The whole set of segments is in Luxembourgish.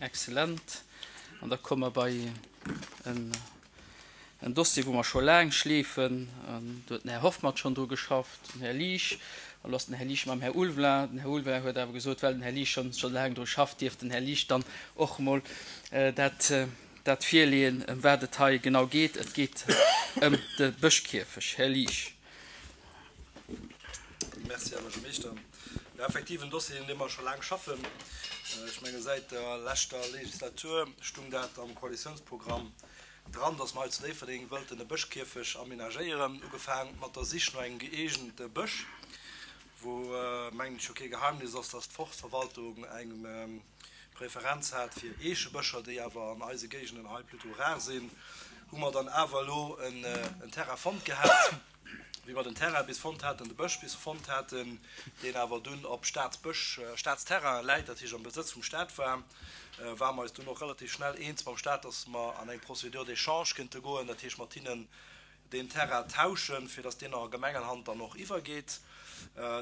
Excellent. An da komme mer bei en Dossier, wou mer scho laang schleefen. Do huet den Här Hoffmann schonn dru geschafft, den Här Liesch. An elo ass den Här Liesch mam Här Ulveling. Den Här Ulveling huet awer gesot, well den Här Liesch schonn scho laang dru schafft, dierf den Här Liesch dann och emol dat, dat virleeën, ëm wat et hei genau geet. Et geet ëm de Bëschkierfech. Här Liesch. Merci, Här Buergermeeschter. Jo, effektiv en Dossier, un deem mer scho laang schaffen. Ech menge säit der leschter Legislatur stung dat am Koalitiounsprogramm dran, dass mer hei zu Déifferdeng wëllten e Bëschkierfeg aménagéieren. Ugefaang mat der Sich no engem gëeegente Bësch, wou, mengen ech, jo kee Geheimnis ass, dass d'Forstverwaltung eng Preferenz hat fir Eechebëscher, déi awer an eise Géigenden hei plutôt rar sinn, hu mer dann awer elo en Terrain fonnt gehat. Wéi mer den Terrain bis fonnt haten, de Bësch bis fonnt haten, deen awer dunn op Staatsbësch, Staatsterrain läit, dat heescht am Besëtz vum Staat war, ware mer eis dunn och relativ schnell eens mam Staat, dass mer an eng Procédure d'échange kënnte goen, dat heescht mat hinnen deen Terrain tauschen, fir dass deen a Gemengenhand dann och iwwergeet.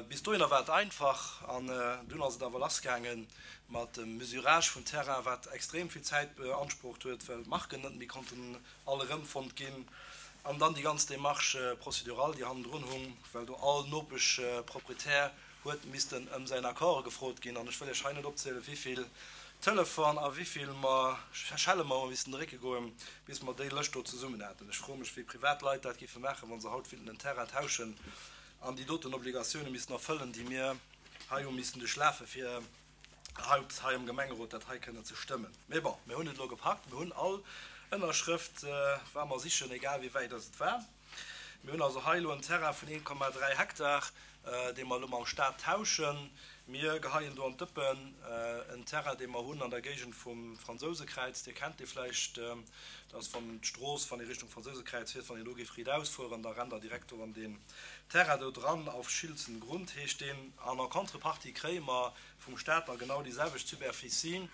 Bis dohinner war et einfach an dunn ass et awer lassgaange mat dem Mesurage vum Terrain, wat extrem vill Zäit beansprucht huet, well d'Marken net méi konnten all erëmfonnt ginn an dann déi ganz Démarche procédurale, déi hannendrun hung, well do all Nopeschproprietär huet missten ëm säin Accord gefrot ginn. An ech wëll Iech hei net opzielen, wéivill Telefon a wéivill mer Schelle mer hu missen drécke goen, bis mer déi Lëscht do zesummen haten. Ech froe mech, wéi privat Leit dat géife maachen, wa se haut wéilten en Terrain tauschen an déi doten Obligatioune missten erfëllen, déi mir hei hu missen duerchlafen, fir haut hei am Gemengerot dat hei kënnen ze stëmmen. Mee bon, mir hunn et elo gepackt. Mir hunn all Ënnerschrëft, war mer sichen, egal wéi wäit dass et war. Mir hunn also hei elo en Terrain vun 1,3 Hektar, dee mer elo mam Staat tauschen. Mir geheien do an d'Dëppen en Terrain, dee mer hunn an der Géigend vum Fransousekräiz. Dir kennt dee vläicht. Dat ass, wann d'Strooss, wann ee Richtung Fransousekräiz fiert, wann een do géif riitaus fueren, da rennt Der direkt do an deen Terrain do dran. Auf Schiltzengrund heescht deen. An en contrepartie kréie mer vum Staat da genau déi selwecht Superficie,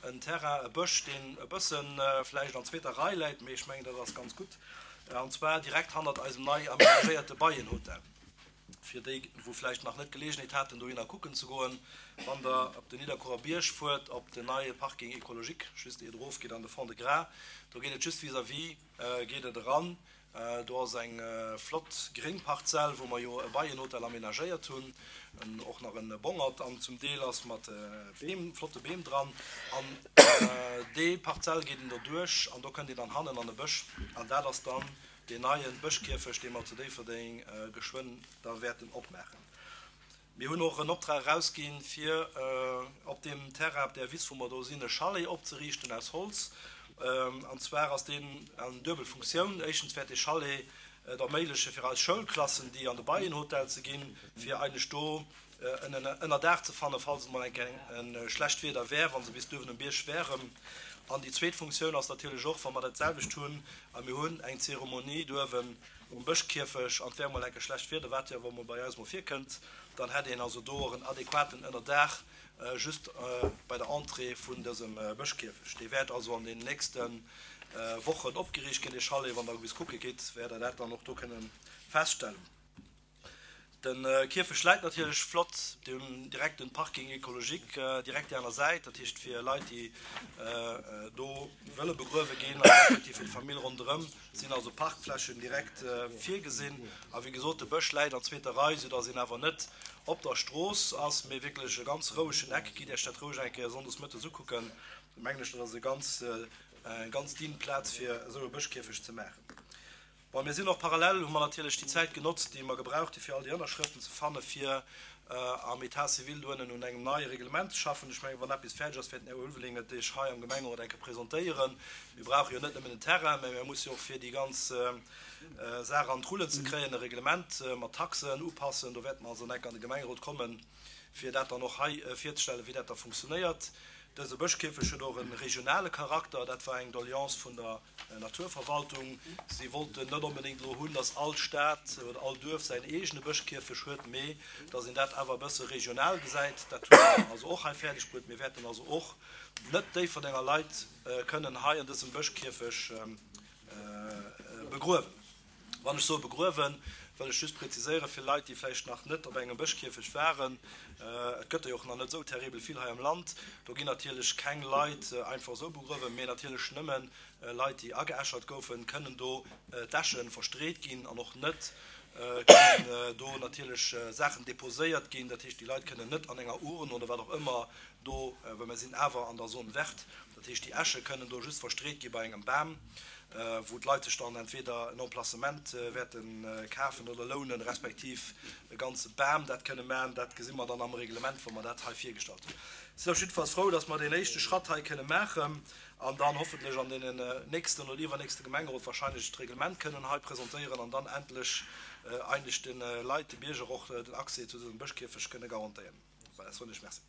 en Terrain, e Bësch, deen e bësse vläicht an zweeter Rei läit, mee ech mengen, dat ass ganz gutt, an zwar direkt hannert eisem nei amenagéierte Beienhotel. Fir déi, wou vläicht nach net d'Geleegenheet haten, dohinner kucken ze goen, wann Der op den Nidderkuerer Bierg fuert, op den neie Parking écologique, just iert erofgeet an de Fond-de-Gras, do geet et just vis-à-vis geet et eran. Do ass eng flott gréng Parzell, wou mer jo e Beienhotel amenagéiert hunn, och nach e Bongert an zum Deel ass mat Beem, flotte Beem dran. An déi Parzell geet een do duerch an do kënnt een dann hannen an e Bësch an dat ass dann deen neie Bëschkierfecht, dee mer zu Déifferdeng geschwënn da wäerten opmaachen. Mir hunn och en Optrag erausginn, fir op deem Terrain, op där Wiss, wou mer do sinn, e Chalet opzeriichten aus Holz. An zwar ass deen an duebel Funktioun. Éischtens wäert dee Chalet et erméigleche fir eis Schoulklassen, déi an de Beienhotel ze ginn, fir eigentlech do en Ënnerdaach ze fannen, falls et mol eng Kéier e schlecht Wieder wär, wa se bis duerwen um Bierg wären. An déi zweet Funktioun ass natierlech och, wa mer dat selwecht hunn a mir hunn eng Zeremonie duerwen um Bëschkierfech an et wär mol enke schlecht Wieder, wat jo awer mol bei eis mol virkënnt, dann hätt een also do och en adequaten Ënnerdaach just bei der Entrée vun dësem Bëschkierfech. Dee wäert also an den nächste Wochen opgeriicht ginn, dee Chalet. Wann Der bis kucke gitt, wäert Der dat dann och do kënne feststellen. De Kierfecht läit natierlech flott, dir hunn direkt den Parking écologique direkt déi aner Säit, dat heescht fir Leit déi do wëlle begruewe ginn a respektiv fir d'Famill ronderëm sinn also Parkflächen direkt virgesinn. A wéi gesot, de Bësch läit an zweeter Rei, soudass een awer net op der Strooss ass, mee wierklech e ganz rouegen Eck. Gitt Iech dat roueg eng Kéier sonndes mëttes ukucken, mengen ech, dat ass e ganz, eng ganz digne Plaz fir esou e Bëschkierfecht ze maachen. Bon, mir sinn och parallel, hu mer natierlech déi Zäit genotzt, déi mer gebraucht hu fir all déi Ënnerschrëften ze fannen, fir am État civil do ënnen un engem neie Reglement ze schaffen. Ech mengen, wann eppes fäerdeg ass, wäert den Här Ulveling et Iech hei am Gemengerot eng Kéier presentéieren. Mir brauche jo net nëmmen den Terrain, mä mir musse jo och, fir déi ganz Saach an d'Rullen ze kréien, e Reglement mat Taxen upassen. Do wäerte mer also eng Kéier an de Gemengerot kommen, fir dat dann och hei virzestellen, wéi dat da funktionéiert. Dëse Bëschkierfecht huet och e regionale Charakter. Dat war eng Doleance vun der Naturverwaltung. Si wollten net onbedéngt elo hunn, datt all Stad oder all Duerf säin eegene Bëschkierfecht huet, mee datt een dat awer e bësse regional gesäit. Dat hu mer also och hei fäerdeg bruet. Mir wäerten also och net Déifferdenger Leit kënnen hei an dësem Bëschkierfecht begruewen. Wann ech soe begruewen, Wëll ech just präziséieren, fir Leit, déi vläicht nach net op engem Bëschkierfecht waren, Et gëtt der jo och nach net esou terribel vill hei am Land. Do ginn natierlech keng Leit einfach esou begruewen, mee natierlech nëmme Leit, déi ageäschert goufen, kënnen do d'Äsche verstreet ginn an och net kënnen do natierlech Saachen deposéiert ginn. Dat heescht, déi Leit kënnen net an enger Urn oder wat och ëmmer do, well mer sinn awer an der Zone verte, dat heescht, déi Äsche kënnen do just verstreet gi bei engem Bam, wou d'Leit sech dann entweder en Emplacement wäerte kafen oder lounen, respektiv e ganze Bam dat kënne maachen. Dat gesi mer dann am Reglement, wa mer dat hei virgestallt hunn. Sinn op jiddefalls frou, dass mer deen éischte Schratt hei kënne maachen an dann hoffentlech an deenen nächsten oder iwwernächste Gemengerot wahrscheinlech d'Reglement kënnen hei presentéieren an dann endlech eigentlech de Leit, de Bierger och den Accès zu dësem Bëschkierfecht kënne garantéieren. Voilà, soen ech Merci.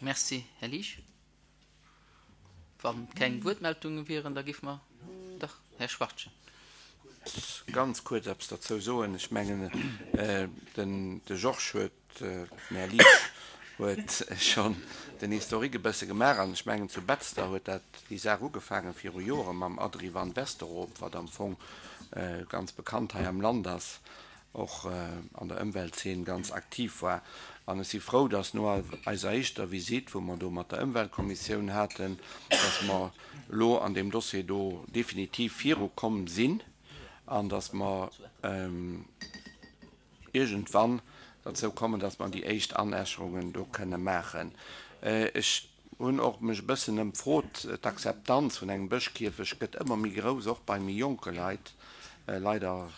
Merci, Här Liesch. Wa keng Wuertmeldunge wieren, da géife mer, dach, Här Schwachtgen. Ganz kuerz eppes derzou soen. Ech mengen, den de Georges huet, den Här Liesch huet schonn den Historique e bësse gemaach an ech mengen, zu Betzder huet dat déi Saach ugefaange viru Jore mam Adri van Westerop, wat am Fong ganz bekannt hei am Land ass. och an der Ëmweltzeen ganz aktiv war. An ech si frou, dass no eiser éischter Visitt, wou mer do mat der Ëmweltkommissioun haten, dass mer elo an deem Dossier do definitiv virukomm sinn an dass mer iergendwann derzou kommen, dass mer déi éischt Anäscherungen do kënne maachen. Ech Hunn och mech e bëssen ëmfrot, d'Akzeptanz vun engem Bëschkierfecht gëtt ëmmer méi grouss, och bei méi jonke Leit. Leider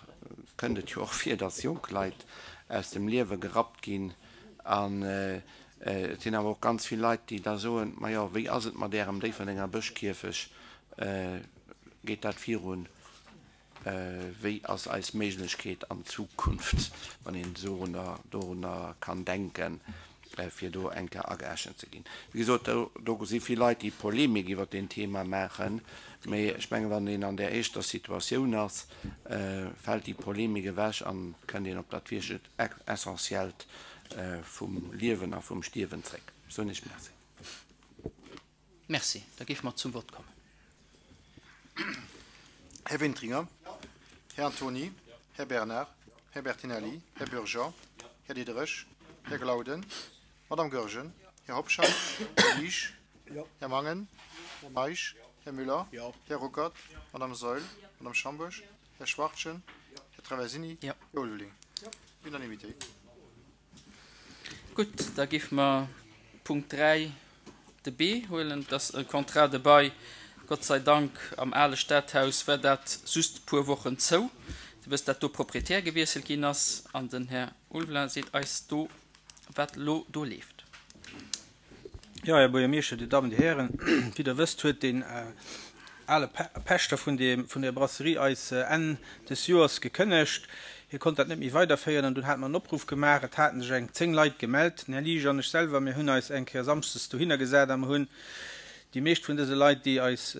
kënnt et jo och vir, dass jonk Leit aus dem Liewe gerappt ginn. An et sinn awer och ganz vill Leit, déi da soen, Majo, wéi ass et mat Ärem Déifferdenger Bëschkierfecht, geet dat virun? Wéi ass eis Méiglechkeet an Zukunft, wann een dorunner kann denken, fir do eng Kéier ageechent ze ginn? Wéi gesot, do si vill Leit, déi Polemik iwwert deen Thema maachen, mee ech mengen, wann een an där éischter Situatioun ass, fält déi Polemik ewech an kënnt een op dat wierklech Essentiellt vum Liewen a vum Stierwen zréck. Soen ech Merci. Merci. Da géife mer zum Vott kommen. Här Wintringer. Här Antony. Här Bernard. Här Bertinelli. Här Bürger. Här Diderich. Här Glauden. Madame Goergen. Här Hobscheit. Här Liesch. Här Mangen. Här Meisch. Här Müller. Här Ruckert. Madame Saeul. Madame Schambourg. Här Schwachtgen. Här Traversini. Här Ulveling. Unanimité. Gutt, da géife mer Punkt 3, de B, huelen. Et ass e Contrat de bail. Gott sei Dank, am ale Stadhaus war dat just e puer Wochen zou. Dir wësst, dat do Proprietär gewiesselt ginn ass. An den Här Ulveling seet eis do, wat elo do leeft. Jo, Här Buergermeeschter, Dir Dammen, Dir Hären, wéi Der wësst, huet deen ale Pächter vun deem, vun der Brasserie eis Enn des Joers gekënnegt. Hie konnt dat net méi weiderféieren an dunn hate mer en Opruff gemaach. Et haten sech eng 10 Leit gemellt. Den Här Liesch an ech selwer, mir hunn eis eng Kéier samschdes dohinner gesat a mer hunn déi meescht vun dëse Leit, déi eis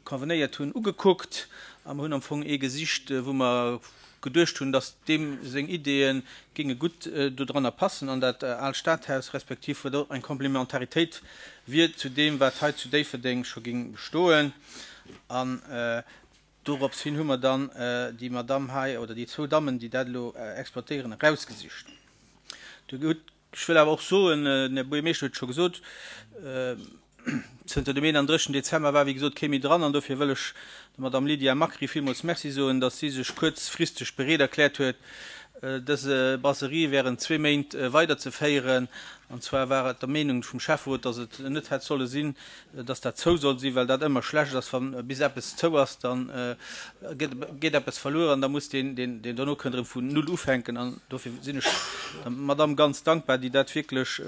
convenéiert hunn, ugekuckt a mer hunn am Fong ee gesicht, wou mer geduecht hunn, datt deem seng Ideeë géinge gutt dodranner passen an dat aalt Stadhaus, respektiv wou och eng Komplementaritéit wier zu deem, wat hei zu Déifferdeng scho géing bestoen. An dorops hin hu mer dann déi Madamm hei, oder déi zwou Dammen, déi dat elo exploitéieren, erausgesicht. Dir hutt Ech wëll awer och soen, den Här Buergermeeschter huet et scho gesot, zënter dem 31. Dezember war wéi gesot kee méi dran an dofir wëll ech der Madame Lydia Macri villmools Merci soen, datt si sech kuerzfristeg bereet erkläert huet, dëse Brasserie während zwee Méint weiderzeféieren. An zwar war et der Meenung vum Schäfferot, datt et net hätt solle sinn, dass dat zou soll sinn, well dat ëmmer schlecht ass, wa bis eppes zou ass, da geet eppes verluer an da muss deen, deen dono kënnt, erëm vun null ufänken. An dofir sinn ech der Madamm ganz dankbar, déi dat wierklech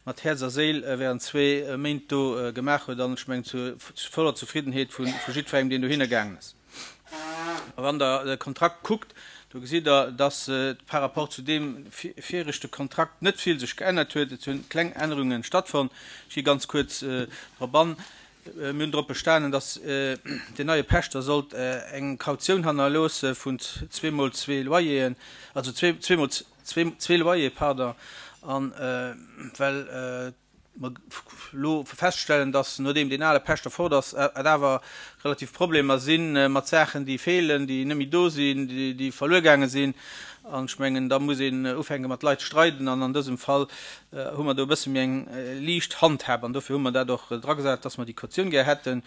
mat Häerz a Séil während zwee Méint do gemaach huet an ech mengen zu voller Zufriedenheet vu jiddwerengem, deen dohinner gaangen ass. A wann Der de Kontrakt kuckt, do gesitt Der, dass par rapport zu deem viregte Kontrakt net vill sech geännert huet. Et hunn kleng Ännerunge stattfonnt. Ech gi ganz kuerz drop an. Mir hunn drop bestanen, dass deen neie Pächter sollt eng Kautioun hannerloosse vun zweemol zwee Loyeren, also zweemol zwee Loyer, pardon, a well. Mer elo feststellen, dass, nodeem deen ale Pächter fort ass, et awer relativ Problemer si mat Saachen, déi feelen, déi net méi do sinn, déi verluer gaange sinn. An ech mengen, da muss een ufänke mat Leit streiden. An an dësem Fall hu mer do e bësse méi eng liicht Handhab. An dofir hu mer dat och dragesat, dass mer déi Kautioun gär hätten.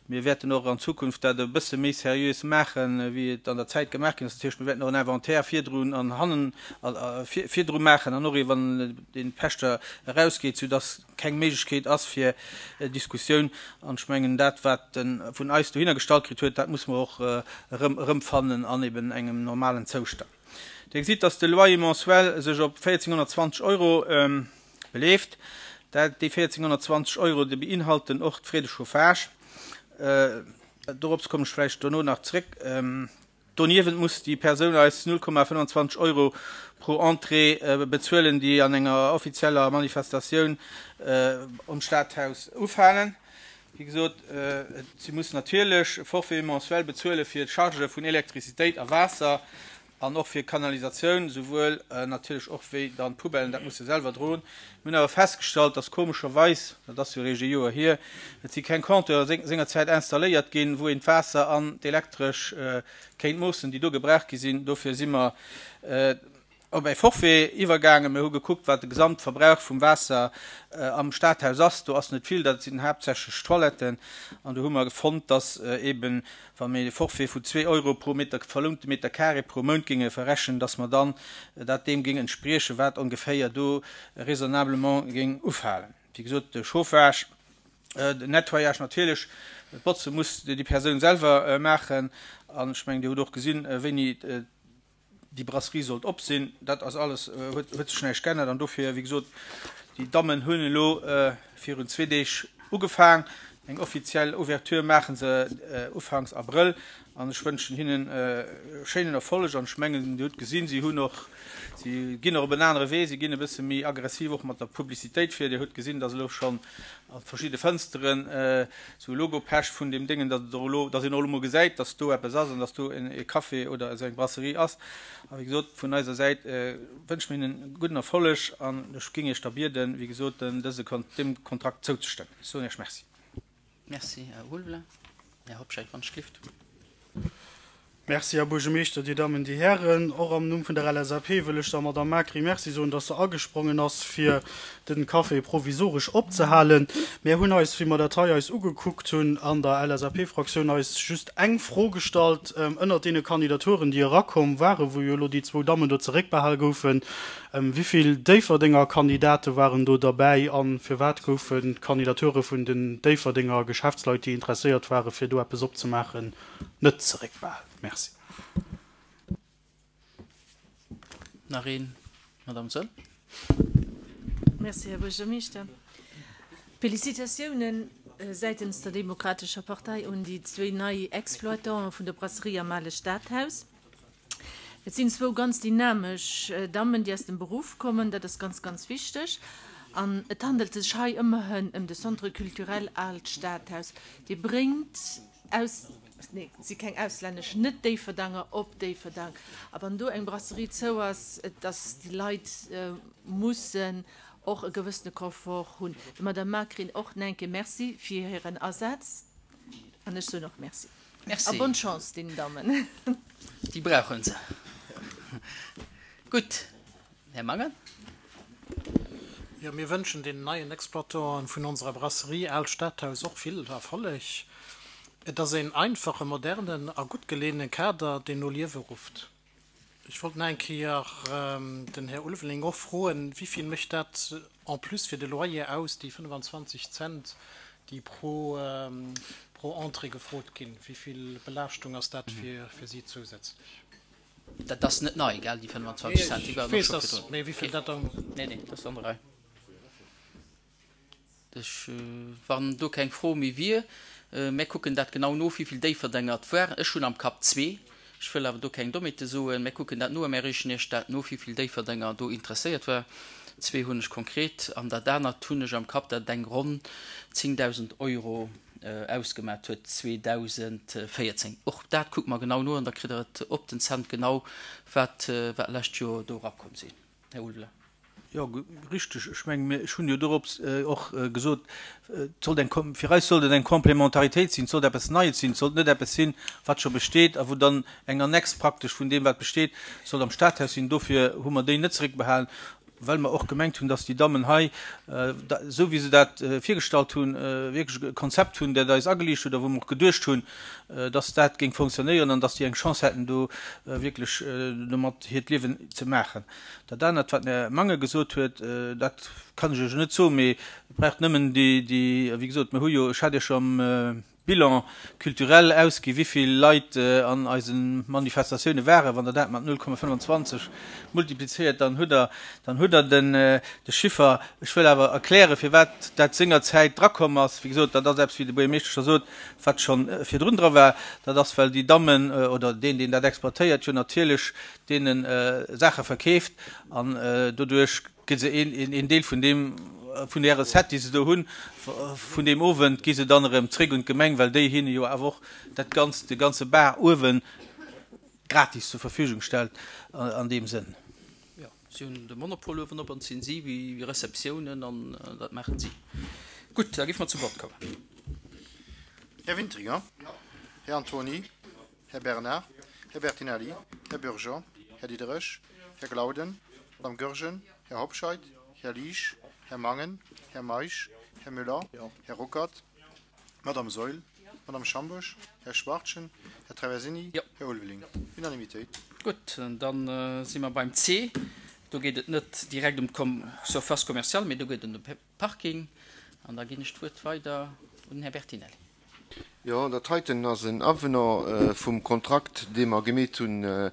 Mir wäerten och an Zukunft dat e bësse méi seriös maachen, wéi et an der Zäit gemaach ginn ass. Dat heescht, mir wäerten och en Inventaire virdrun an hannen virdru maachen an och ee wann dee Pächter erausgeet, soudass keng Méiglechkeet ass fir Diskussioun. An ech mengen, dat wat e vun eis dohinner gestallt kritt huet, dat muss mer och erëm erëmfannen an eben engem normalen Zoustand. Dir gesitt, dass de Loyer mensuel sech op 1.420 Euro beleeft. Dat, déi 1.420 Euro, déi beinhalten och d'Frais de chauffage. Dorops kommen ech vläicht dono nach zréck. Doniewent muss déi Persoun eis 0,25 Euro pro Entrée bezuelen, déi an enger offizieller Manifestatioun um Stadhaus ufalen. Wéi gesot, si muss natierlech e Forfait mensuel bezuele fir d'Chargë vun Elektrizitéit a Waasser an och fir Kanalisatioun, souwuel natierlech och wéi dann d'Poubellen, dat muss se selwer droen. Mir hunn awer festgestallt, dass komescherweis, dat ass jo eréischt e Joer hier, et si keng Compteure sengerzäit installéiert ginn, wou een d'Waasser an d'Elektresch kéint moossen, déi do gebraucht gi sinn. Dofir si mer op e Forfait iwwergaangen. Mir hu gekuckt, wat de Gesamtverbrauch vum Waasser am Stadhaus ass. Do ass net vill, dat sinn haaptsächlech Toiletten. An do hu mer fonnt, dass eeben, wa mir e Forfait vun zwee Euro pro Meter, verlounte Meter carré pro Mount géinge verrechnen, dass mer dann dat deem géing entspriechen, wat ongeféier do raisonnablement géing ufalen. Wéi gesot, de Chauffage, den Nettoyage natierlech, d'Botze muss déi Persoun selwer maachen. An ech mengen, Dir hutt och gesinn, wéini Déi Brasserie sollt op sinn. Dat ass alles, huet sech näischt geännert. An dofir, wéi gesot, déi Dammen hunn elo virun zwee Deeg ugefaang. Eng offiziell Ouverture maache se ufanks Abrëll. An ech wënschen hinnen e schéinen Erfolleg. An ech mengen, Dir hutt gesinn, si hunn och, si ginn och op en anere Wee, si ginn e bësse méi aggressiv och mat der Publicitéit vir. Dir hutt gesinn, dass elo schonn a verschidde Fënsteren Sou Logo-Pech vun deem Déngen, datt et och elo, datt een och elo mol gesäit, datt do eppes ass an datt do e Café oder esou eng Brasserie ass. A wéi gesot, vun eiser Säit wënsche mir hinnen gudden Erfolleg an ech géing Iech da bieden, wéi gesot, dëse, deem Kontrakt zouzestëmmen. Ech soen Iech Merci. Merci, Här Ulveling. Här Hobscheit, wann ech gelift. Merci, Här Buergermeeschter, Dir Dammen, Dir Hären. Och am Numm vun der LSAP wëll ech der Madamm Macri Merci soen, dass se agesprongen ass, fir den Café provisoresch opzehalen. Mär hunn eis, wéi mer dat hei eis ugekuckt hunn, an der LSAP-Fraktioun eis just eng Fro gestallt, Ënnert deene Kandidaturen, déi erakomm waren, wou jo elo déi zwou Dammen do zeréckbehal goufen, wéi vill Déifferdenger Kandidate waren do derbäi a firwat goufen d'Kandidature vun den Déifferdenger Geschäftsleit, déi interesséiert waren, fir do eppes opzemaachen, net zeréckbehalen. Merci. Nach een, Madame Saeul. Merci, Här Buergermeeschter. Félicitatiounen säitens der Demokratescher Partei un déi zwéi nei Exploitanten vun der Brasserie am Ale Stadhaus. Et sinn zwou ganz dynamesch Dammen, déi aus dem Beruff kommen. Dat ass ganz, ganz wichteg. An et handelt sech hei ëmmerhin ëm de Centre culturel Aalt Stadhaus. Dee bréngt aus, nee, et si keng auslännesch, net Déifferdanger op Déifferdang. A wann do eng Brasserie zou ass, dass déi Leit mussen och e gewëssene Confort hunn. Der Madame Macrin och nach eng Kéier Merci fir hiren Asaz. An ech soen och Merci. Merci. A bonne Chance deenen Dammen. Déi brauche se. Gutt. Här Mangen. Jo, mir wënschen deenen neien Exploitanten vun onserer Brasserie Aalt Stadhaus och vill Erfolleg. Et ass een einfache, modernen a gutt geleeëne Kader, deen no Liewe rufft. Ech wollt nach eng Kéier den Här Ulveling och froen, Wéi vill mécht dat en plus fir de Loyer aus, déi 25 Cent, déi pro pro Entrée gefrot ginn? Wéi vill Belaaschtung ass dat fir si zousätzlech? Dat ass net nei, gell, déi 25 Cent, déi waren och scho virdrun. Mee wéi vill dat dann? Nee, nee, dat ass an der Rei. Ech, wann do keng Fro méi wier, mär kucken dat genau no, wéi vill Déifferdenger et waren. Ech hunn am Kapp zwee, ech wëll awer do keng Dommheete soen. Mär kucken dat no a mär reechen Iech dat no, wéi vill Déifferdenger do interesséiert war. Zwee hunn ech konkret an dat anert hunn ech am Kapp, dat et eng ronn 10.000 Euro ausgemat huet 2014. Och dat kucke mer genau no an da kritt Der et op den Cent genau, wat wat lescht Joer do erakomm sinn. Här Ulveling. Jo, richteg. Ech mengen, mir, ech hunn jo dorops och gesot, et sollt eng, fir eis sollt et eng Complémentaritéit sinn, et sollt eppes Neies sinn, et sollt net eppes sinn, wat scho besteet a wou dann eng Annex praktesch vun deem, wat besteet, sollt am Stadhaus sinn. Dofir hu mer déi net zeréckbehalen, well mer och gemengt hunn, dass déi Dammen hei, esou wéi se dat virgestallt hunn, wierklech e Konzept hunn, dat eis ageliicht huet a wou mer och geduecht hunn, dass dat géing fonctionnéieren an dass déi eng Chance hätten, do wierklech domat hiert Liewen ze maachen. Dat anert, wat den Här Mangen gesot huet, dat kann ech Iech net soen, mee et braucht nëmmen déi, déi, wéi gesot, mir hu jo, ech hat Iech jo am Bilan culturel ausgi wéivill Leit an eise Manifestatioune waren. Wann Der dat mat 0,25 multiplizéiert, dann hutt Der, dann hutt Der den, de Chiffer. Ech wëll awer erklären, firwat dat sengerzäit drakomm ass. Wéi gesot, dat ass eppes, wéi de Buergermeeschter scho sot, wat scho virdrun dra war. Dat ass, well déi Dammen oder deen, deen dat exploitéiert, jo natierlech deene Saache verkeeft an doduerch gi se een Deel vun deem, vun där Recette, déi se do hunn, vun deem Owend, gi se dann erëm zréck un d'Gemeng, well déi hinne jo awer och dat Ganzt, de ganze Bar uewe gratis zur Verfügung stellt an deem Sënn. Jo, si hunn de Monopol uewen op an et sinn si wéi Receptiounen an dat maachen si. Gutt, da géife mer zum Vott kommen. Här Wintringer? Här Antony? Här Bernard, Här Bertinelli, Här Bürger, Här Diderich, Här Glauden, Madame Goergen, Här Hobscheit, Här Liesch, Här Mangen, Här Meisch, Här Müller, Här Ruckert, Madame Saeul, Madame Schambourg, Här Schwachtgen, Här Traversini, Här Ulveling. Unanimitéit. Gutt, da si mer beim C. Do geet et net direkt ëm d'Surface commerciale, mee do geet et ëm de Parking. An da ginn ech d'Wuert weider un den Här Bertinelli. Jo, dat heiten ass en Avenant vum Kontrakt, dee mer gemeet hunn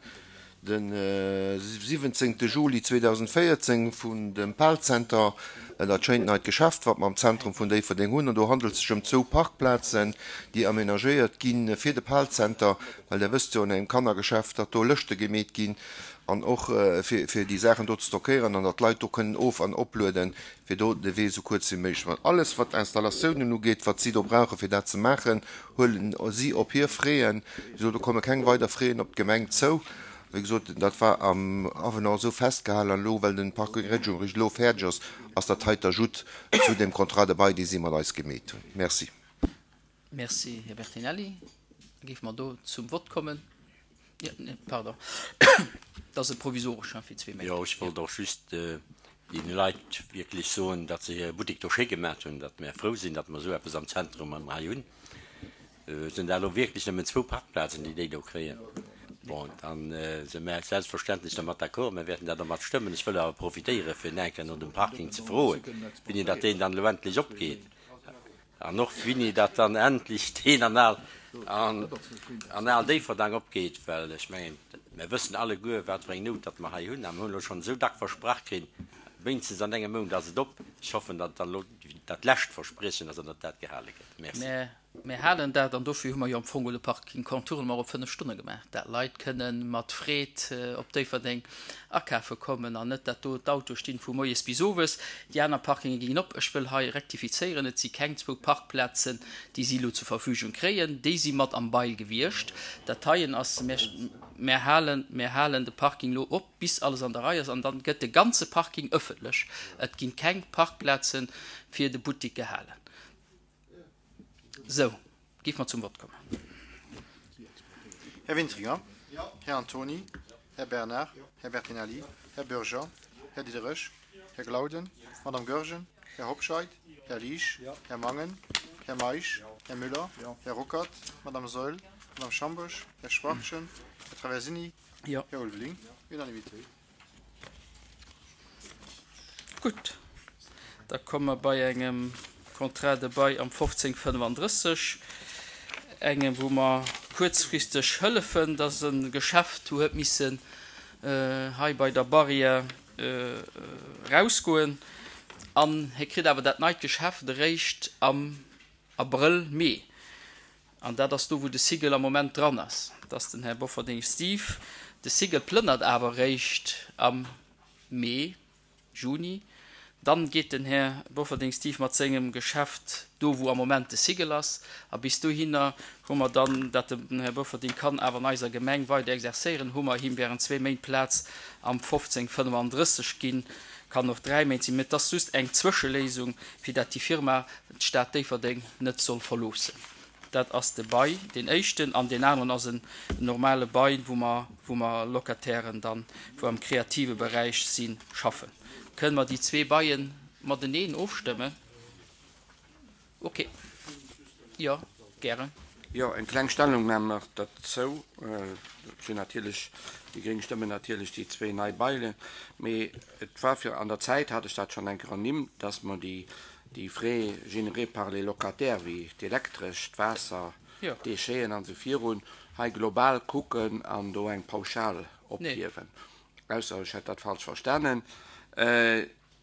de 17 Juli 2014 vun dem Pal-Center, dat schéint neit Geschäft, wat mer am Zentrum vun Déifferdeng hunn. An do handelt sech ëm zwou Parkplazen, déi amenagéiert gi fir de Pal-Center, well Der wësst jo, an engem Kannergeschäft, datt do Lëschte gemeet ginn an och fir déi Saachen do ze stockéieren an datt d'Leit do kënnen of an oplueden, fir do de Wee esou kuerz wéi méiglech ze maachen. Alles wat Installatiounen ugeet, wat si do brauchen, fir dat ze maachen, huelen si op hir Fräen. Wéi gesot, do komme keng weider Fräen op d'Gemeng zou. Wéi gesot, dat war am Avenant esou festgehalen an elo, well den Parking Région eréischt elo fäerdeg ass, ass dat hei d'Ajout zu deem Contrat de bail, dee si mat eis gemeet hunn. Merci. Merci, Här Bertinelli. Da géife mer do zum Vott kommen. Pardon, dat ass e provisoreschen fir zwee Méint. Jo, ech wollt och just deene Leit wierklech soen, datt se hire Buttek do schéi gemaach hunn, datt mär frou sinn, datt mer esou eppes am Zentrum hei hunn. Et sinn dat elo wierklech nëmmen zwou Parkplazen, déi déi do kréien. Bon, da si mär selbstverständlech dermat d'accord. Mir wäerten dat och mat stëmmen. Ech wëll awer profitéieren, fir nach eng Kéier no dem Parking ze froen, wéini datt deen dann elo endlech opgeet. An och wini dat dann endlech deen an al an al Déifferdang opgeet, well ech mengen, mer wëssen alleguer, wat fir eng Nout datt mer hei hunn. A mer hunn elo schonn esou dack versprach kritt, wéinstens an engem Mount ass et op. Ech hoffen, datt dann elo dat lescht Verspriechen ass an datt dat gehale gëtt. Merci. Mir halen dat, an dofir hu mer jo am Fong de Parking Contournement op 5 Stonne gemaach, dat Leit kënnen mat Freed op Déifferdeng akafe kommen an net dat do d'Autoe stinn vu moies bis owes. Déi aner Parkinge ginn op. Ech wëll hei rektifizéieren, Et si keng zwou Parkplazen, déi si elo zur Verfügung kréien. Déi si mat am Bail gewiescht. Dat heien ass, mir halen, mir halen de Parking elo op, bis alles an der Rei ass, an dann gëtt de ganze Parking ëffentlech. Et ginn keng Parkplaze fir de Buttik gehalen. Sou, géife mer zum Vott kommen. Här Wintringer. Här Antony. Här Bernard. Här Bertinelli. Här Bürger. Här Diderich. Här Glauden. Madame Goergen. Här Hobscheit. Här Liesch. Här Mangen. Här Meisch. Här Müller. Här Ruckert. Madame Saeul. Madame Schambourg. Här Schwachtgen. Här Traversini. Här Ulveling. Unanimité. Gutt, da komme mer bei engem Contrat de bail am 1535, engem wou mer kuerzfristeg hëllefen, dass e Geschäft huet missen hei bei der Barrière erausgoen an hie kritt awer dat neit Geschäft eréischt am Abrëll, Mee. An dat ass do, wou de Sigel am Moment dran ass. Dat ass den Här Bofferding Steve. De Sigel plënnert awer eréischt am Mee, Juni. Dann geet den Här Bofferding Steve mat sengem Geschäft do, wou am Moment de Sigel ass. A bis dohinner hu mer dann, dat den Här Bofferding kann awer an eiser Gemeng weider exercéieren, hu mer him während zwee Méint Plaz am 1535 ginn. Kann och 3 Méint sinn, mee et ass just eng Zwëscheléisung, fir dat déi Firma d'Stad Déifferdeng net soll verloossen. Dat ass de Bail, deen éischten, an deen aneren ass en normale Bail, wou mer, wou mer Locatairen dann, wou am kreative Beräich sinn, schaffen. Kënnen mer déi zwee Baillen mateneen ofstëmmen? Ok. Jo, gären. Jo, eng kleng Stellungnam nach derzou. Ech hunn natierlech, déi gréng stëmmen natierlech déi zwee nei Bailen, mee et war fir, an der Zäit hat ech dat schonn eng Kéier ernimmt, dass mer déi, déi Frais générés par les locataires, wéi d'Elektresch, d'Waasser, d'Décheten an esou virun, hei global kucken an do eng Pauschal ophiewen. Ausser ech hätt dat falsch verstanen.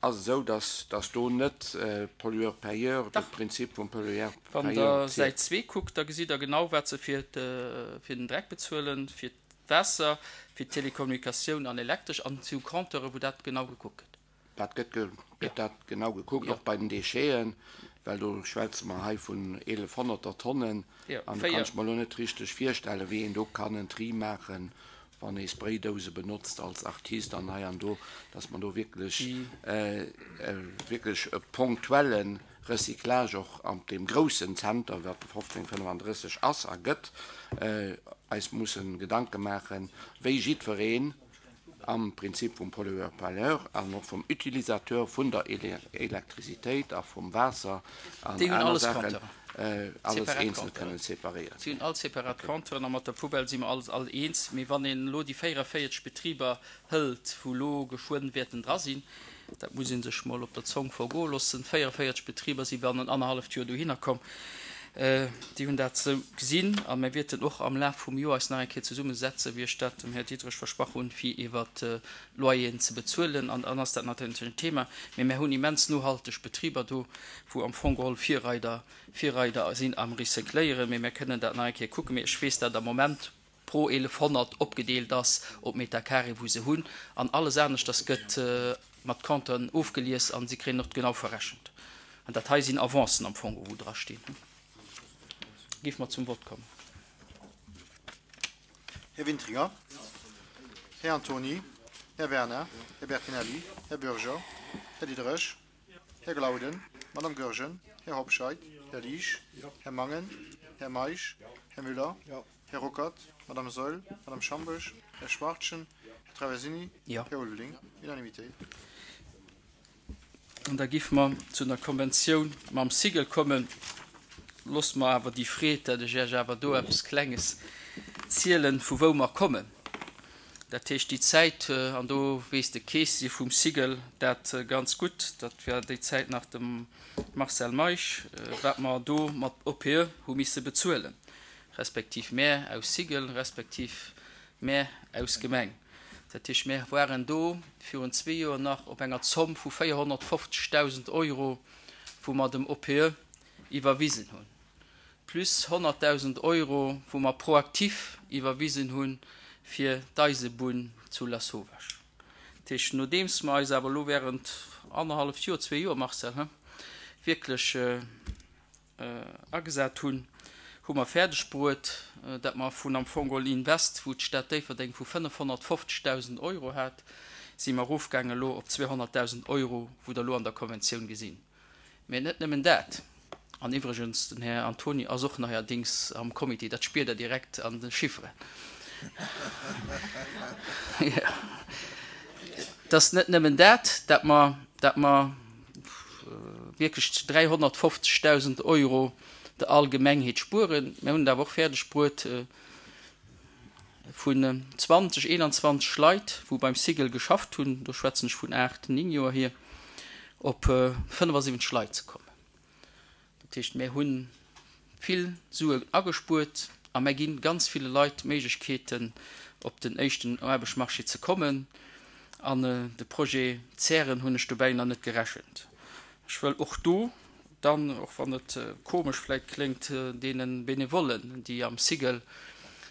Ass esou, dass dass do net Pollueur-payeur, de Prinzip vum Pollueur-payeur Wann Der Säit zwee kuckt, da gesitt Der genau, wat se fir fir den Dreck bezuelen, fir d'Waasser, fir d'Telekommunikatioun an Elektresch, an et si Compteure wou dat genau gekuckt gëtt. Dat gëtt gëtt dat genau gekuckt, och bei den Décheten, well do schwätze mer hei vun 1100er Tonnen, an do kann ech mer elo net richteg virstellen, wéi een do kann en Tri maachen wann ee Spraydouse benotzt als Artist an hei an do, dass mer do wierklech, wierklech e ponktuelle Recyclage och an deem groussen Zenter, wat de 1535 ass a gëtt, eis mussen Gedanke maachen, wéi jiddwereen am Prinzip vum Pollueur-payeur an och vum Utilisateur vun der Elektrizitéit a vum Waasser an aner Saachen, alles eenzel kënnen separéieren. Si hunn all separat Compteuren a mat der Poubelle si mer alles all eens. Mee wann een elo déi 44 Betriber hëlt, wou elo geschwënn wäerten dra sinn, dat muss ee sech mol op der Zong vergoe loossen, 44 Betriber si bannent annerhalleft Joer dohinner komm, déi hunn dat esou gesinn. A mir wäerten och am Laf vum Joer eis nach eng Kéier zesummesetzen, wéi ech dat dem Här Diderich versprach hunn, fir iwwert d'Loyeren ze bezuelen. An dann ass dat natierlech en Thema. Mee mir hunn immens nohalteg Betriber do, wou am Fong geholl Virreider, Virreider sinn am Recycléieren, mee mir kënnen dat nach eng Kéier kucken. Mee ech weess, dat am Moment pro 1100 opgedeelt ass op Meter carré, wou se hunn, an alles aneschters gëtt mat Compteuren ofgelies an si kréien och genau verrechent. An dat hei sinn Avancen am Fong, wou dra stinn. Géife mer zum Vott kommen. Här Wintringer, Här Antony, Här Werner, Här Bertinelli, Här Bürger, Här Diderich, Här Glauden, Madame Goergen, Här Hobscheit, Här Liesch, Här Mangen, Här Meisch, Här Müller, Här Ruckert, Madame Saeul, Madame Schambesch, Här Schwachtgen, Här Traversini, Här Ulveling. Unanimitéit. An da géife mer zu der Konventioun mam Cigl kommen. Loosst mer awer déi Freed, dat ech Iech awer do eppes Klenges zielen, vu wou mer kommen. Dat heescht, déi Zäit, an do weess de Keessier vum Cigl dat ganz gutt, dat war déi Zäit nach de Marcel Meisch, wat mer do mat OPE hu misse bezuelen, respektiv mär aus Cigl, respektiv mär aus Gemeng. Dat heescht, mär waren do virun zwee Joer nach op enger Zomm vu 450.000 Euro, wou mer dem OPE iwwerwisen hunn. plus 100.000 Euro, wou mer proaktiv iwwerwisen hu fir d'Eisebunn zu Lasauvage. Dat heescht, nodeems mer eis awer elo während annerhalleft Joer, zwee Joer, Marcel, he, wierklech agesat hunn, hu mer fäerdeg bruet, dat mer vun am Fong geholl Invest, wou d'Stad Déifferdeng vu 550.000 Euro hat, si mer erofgaangen elo op 200.000 Euro, wou Der elo an der Konventioun gesinn. Mä net nëmmen dat. An iwwregens, den Här Antony ass och neierdings am Comité, dat spiert Der direkt an de Chifferen. Et ass net nëmmen dat, dat mer, dat mer wierklech 350.000 Euro der Allgemengheet spueren, mir hunn et awer och fäerdeg bruet, Vun 20, 21 Leit, wou beim Cigl geschafft hunn, do schwätzen ech vun 8, 9 Joer hier, op 75 Leit ze kommen. Dat heescht, mär hu vill Suen agespuert a mär gi ganz ville Leit d'Méiglechkeeten, op den éischten Aarbechtsmarché ze kommen. An de Projet Zären hunn ech dobäi nach net gerechent. Ech wëll och do Dann, och wann et komesch vläit kléngt, deene Benevollen, déi am Cigl,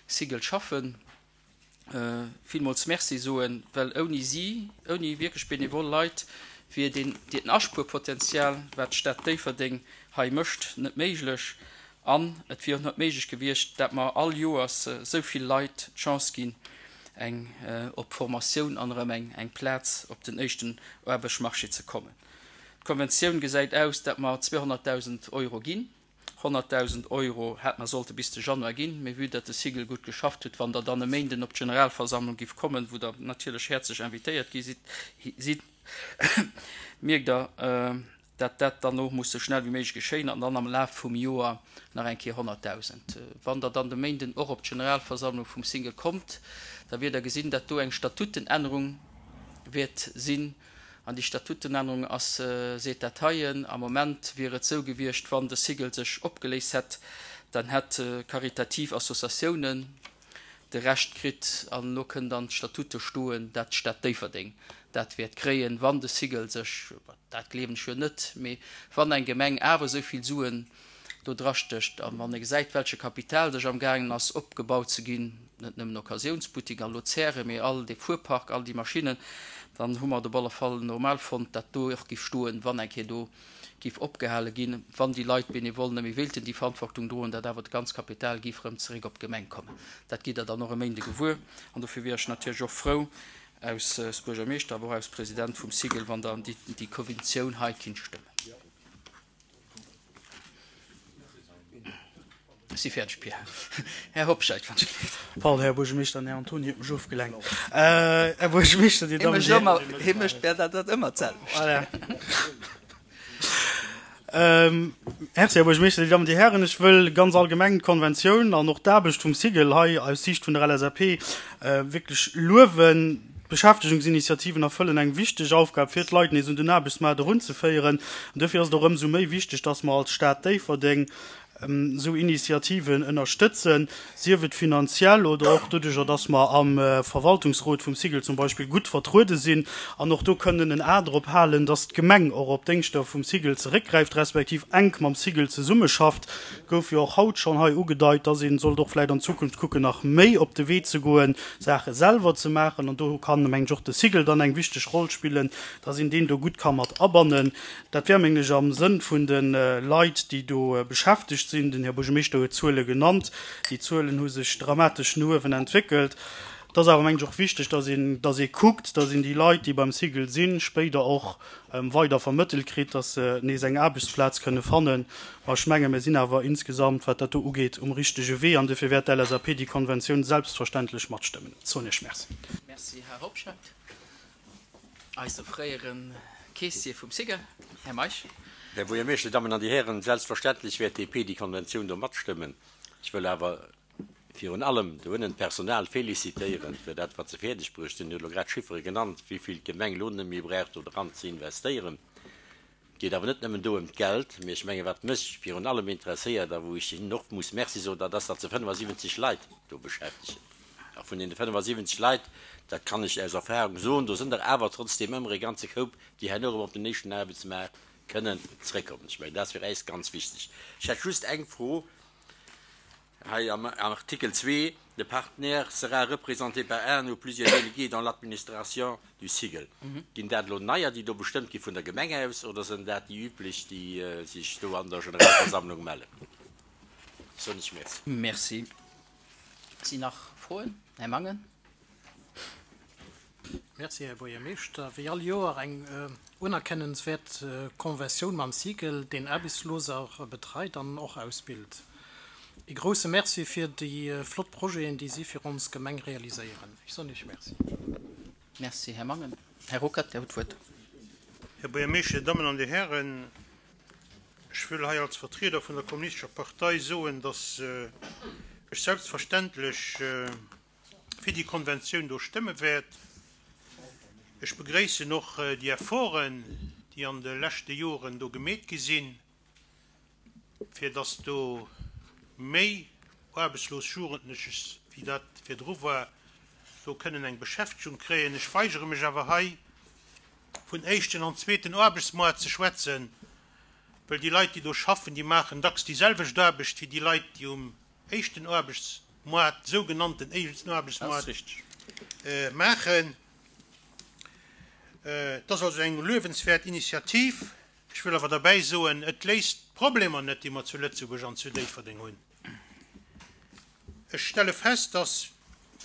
Cigl schaffen, villmools Merci soen, well ouni si, ouni wierklech benevol Leit, wier deen, deen Aspuerpotenzial, wat d'Stad Déifferdeng hei mécht, net méiglech. An et wier och net méiglech gewiescht, dat mer all Joers esou vill Leit d'Chance ginn, Eng op Formatioun an erëm eng eng Plaz op den éischten Aarbechtsmarché ze kommen. D'Konventioun gesäit aus, dat mer 200.000 Euro ginn. 100.000 Euro hätt mer sollte bis de Januar ginn, mee vue dat de Sigel gutt geschafft huet, wann Der dann e Méinden op d'Generalversammlung giff kommen, wou Der natierlech häerzlech invitéiert gi sidd, mierkt Der, dat dat dann och muss sou schnell wéi méiglech geschéien an dann am Laf vum Joer nach eng Kéier 100.000. Wann Der dann de Méinden och op d'Generalversammlung vum Single kommt, da wiert Der gesinn, dat do eng Statutenännerung wäert sinn. An déi Statutenännerung ass, seet dat heien, am Moment wier et sou gewiescht, wann de Sigel sech opgeléist hätt, dann hätt karitativ Associatiounen de Rescht kritt an elo kënnt an d'Statute stoen, dat d'Stad Déifferdeng dat wäert kréien, wann de Sigel sech, dat gleewen ech jo net, mee wann eng Gemeng awer esou vill Suen do drastécht an wann ee gesäit, welche Kapital sech amgaangen ass opgebaut ze ginn, net nëmmen Occasiounsbuttik an elo Zäre, mee all dee Fuerpark, all déi Maschinnen, dann hu mer et op alle Fall normal fonnt, dat do och giff stoen, wann eng Kéier do giff opgehale ginn, wann déi Leit bénévol net méi wéilten déi Verantwortung droen, dat awer d'ganz Kapital giff erëm zeréck op d'Gemeng kommen. Dat gitt Der dann och e Méinde gewuer. An dofir wier ech natierlech och frou, aus Buergermeeschter, awer och aus President vum Sigel, wann Der déi Konventioun hei kinnt stëmmen. Ech si fäerdeg, Pierre. Här Hobscheit, wann ech gelift. Pardon, Här Buergermeeschter, den Här Antony huet mech ofgelenkt. Här Buergermeeschter, Dir Dammen, Dir Hären. Hie mécht mir dat ëmmer d'selwecht. Voilà. Merci, Här Buergermeeschter, Dir Dammen, Dir Hären. Ech wëll ganz allgemeng d'Konventioun an och d'Aarbecht vum Sigel hei aus Siicht vun der LSAP wierklech luewen. D'Beschäftegungsinitiativen erfëllen eng wichteg Aufgab, fir d'Leit nees un den Aarbechtsmaart erunzeféieren. An duerfir ass et och ëmsou méi wichteg, dass mer als Stad Déifferdeng esou Initiativen ënnerstëtzen, sief et finanziell oder och doduercher, dass mer am Verwaltungsrot vum Sigel zum Beispill gutt vertruede sinn an och do kënnen en A drop halen, dass d'Gemeng och op d'Déngschter vum Sigel zeréckgräift, respektiv enk mam Sigel zesummeschafft. Gouf jo och haut schonn hei ugedeit, dass ee sollt och vläicht an Zukunft kucken, nach méi op de Wee ze goen, Saache selwer ze maachen. An do kann, mengen ech, och de Sigel dann eng wichteg Roll spillen, dass een deen do gutt ka mat abannen. Dat wär, mengen ech, am Sënn vun de Leit, déi do beschäftegt sinn. Den Här Buergermeeschter huet d'Zuele genannt. Déi Zuelen hu sech dramatesch no uewen entwéckelt. Et ass awer, mengen ech, och wichteg, dass een, dass ee kuckt, dass een déi Leit, déi beim Sigel sinn, spéider och weider vermëttelt kritt, dass se nees eng Aarbechtsplaz kënne fannen. Ma ech menge mir sinn awer insgesamt, wat dat do ugeet, um richtege Wee an dofir wäert d'LSAP déi Konventioun selbstverständlech matstëmmen. Soen Iech Merci. Merci, Här Hobscheit. Eise fréiere Keessier vum SIGEL, Här Meisch. Här Buergermeeschter, Dir Dammen an Dir Hären, selbstverständlech wäert d'DP déi Konventioun do matstëmmen. Ech wëll awer virun allem doënnen d'Personal félicitéieren fir dat, wat se fäerdeg bruecht hunn. Dir hutt elo grad d'Chiffere genannt, wéi vill d'Gemeng elo net méi brauch do dran ze investéieren. Et geet awer net nëmmen do ëm d'Geld, mee ech menge wat mech virun allem interesséiert a wou ech hinnen och muss Merci soen, dat ass, datt se 75 Leit do beschäftegen. A vun deene 75 Leit, dat kann ech aus Erfahrung soen, do sënn der awer trotzdeem ëmmer e ganze Koup, déi herno erëm op den éischten Aarbechtsmaart kënnen zrëckkommen. Ech mengen, dat ass fir äis ganz wichteg. Ech hätt just eng Fro. Hei am Artikel zwee, Le partenaire sera représenté par un ou plusieurs délégués dans l'administration du Sigel. Ginn dat elo neier, déi do bestëmmt gi vun der Gemeng aus, oder sinn dat déi üblech, déi sech do an der Generalversammlung mellen? Soen ech Merci. Merci. Sinn nach Froen? Här Mangen. Merci, Här Buergermeeschter. Wéi all Joer eng unerkennenswäert Conventioun mam Sigel, deen Aarbechtsloser betreit an och ausbilt. Ee grousse Merci fir déi flott Projeten, déi si fir ons Gemeng realiséieren. Ech soen Iech Merci. Merci, Här Mangen. Här Ruckert, Dir hutt d'Wuert. Här Buergermeeschter, Dir Dammen an Dir Hären, ech wëll hei als Vertrieder vun der Kommunistescher Partei soen, dass ech selbstverständlech fir déi Konventioun do stëmme wäert. Ech begréissen och déi Efforten, déi an de leschte Joren do gemeet gi sinn, fir dass do méi aarbechtslos Jugendlech, wéi dat virdru war, do kënnen eng Beschäftegung kréien. Ech weigere mech awer hei, vun éischten an zweeten Aarbechtsmoart ze schwätzen, well déi Leit, déi do schaffen, déi maachen dacks déi selwecht Aarbecht wéi déi Leit, déi um éischten Aarbechtsmoart, sougenannten éischten Aarbechtsmoart maachen. Et ass also eng luewenswäert Initiativ. Ech wëll awer derbäi soen, et léist d'Problemer net, déi mer zu Lëtzebuerg an zu Déifferdeng hunn. Ech stelle fest, dass.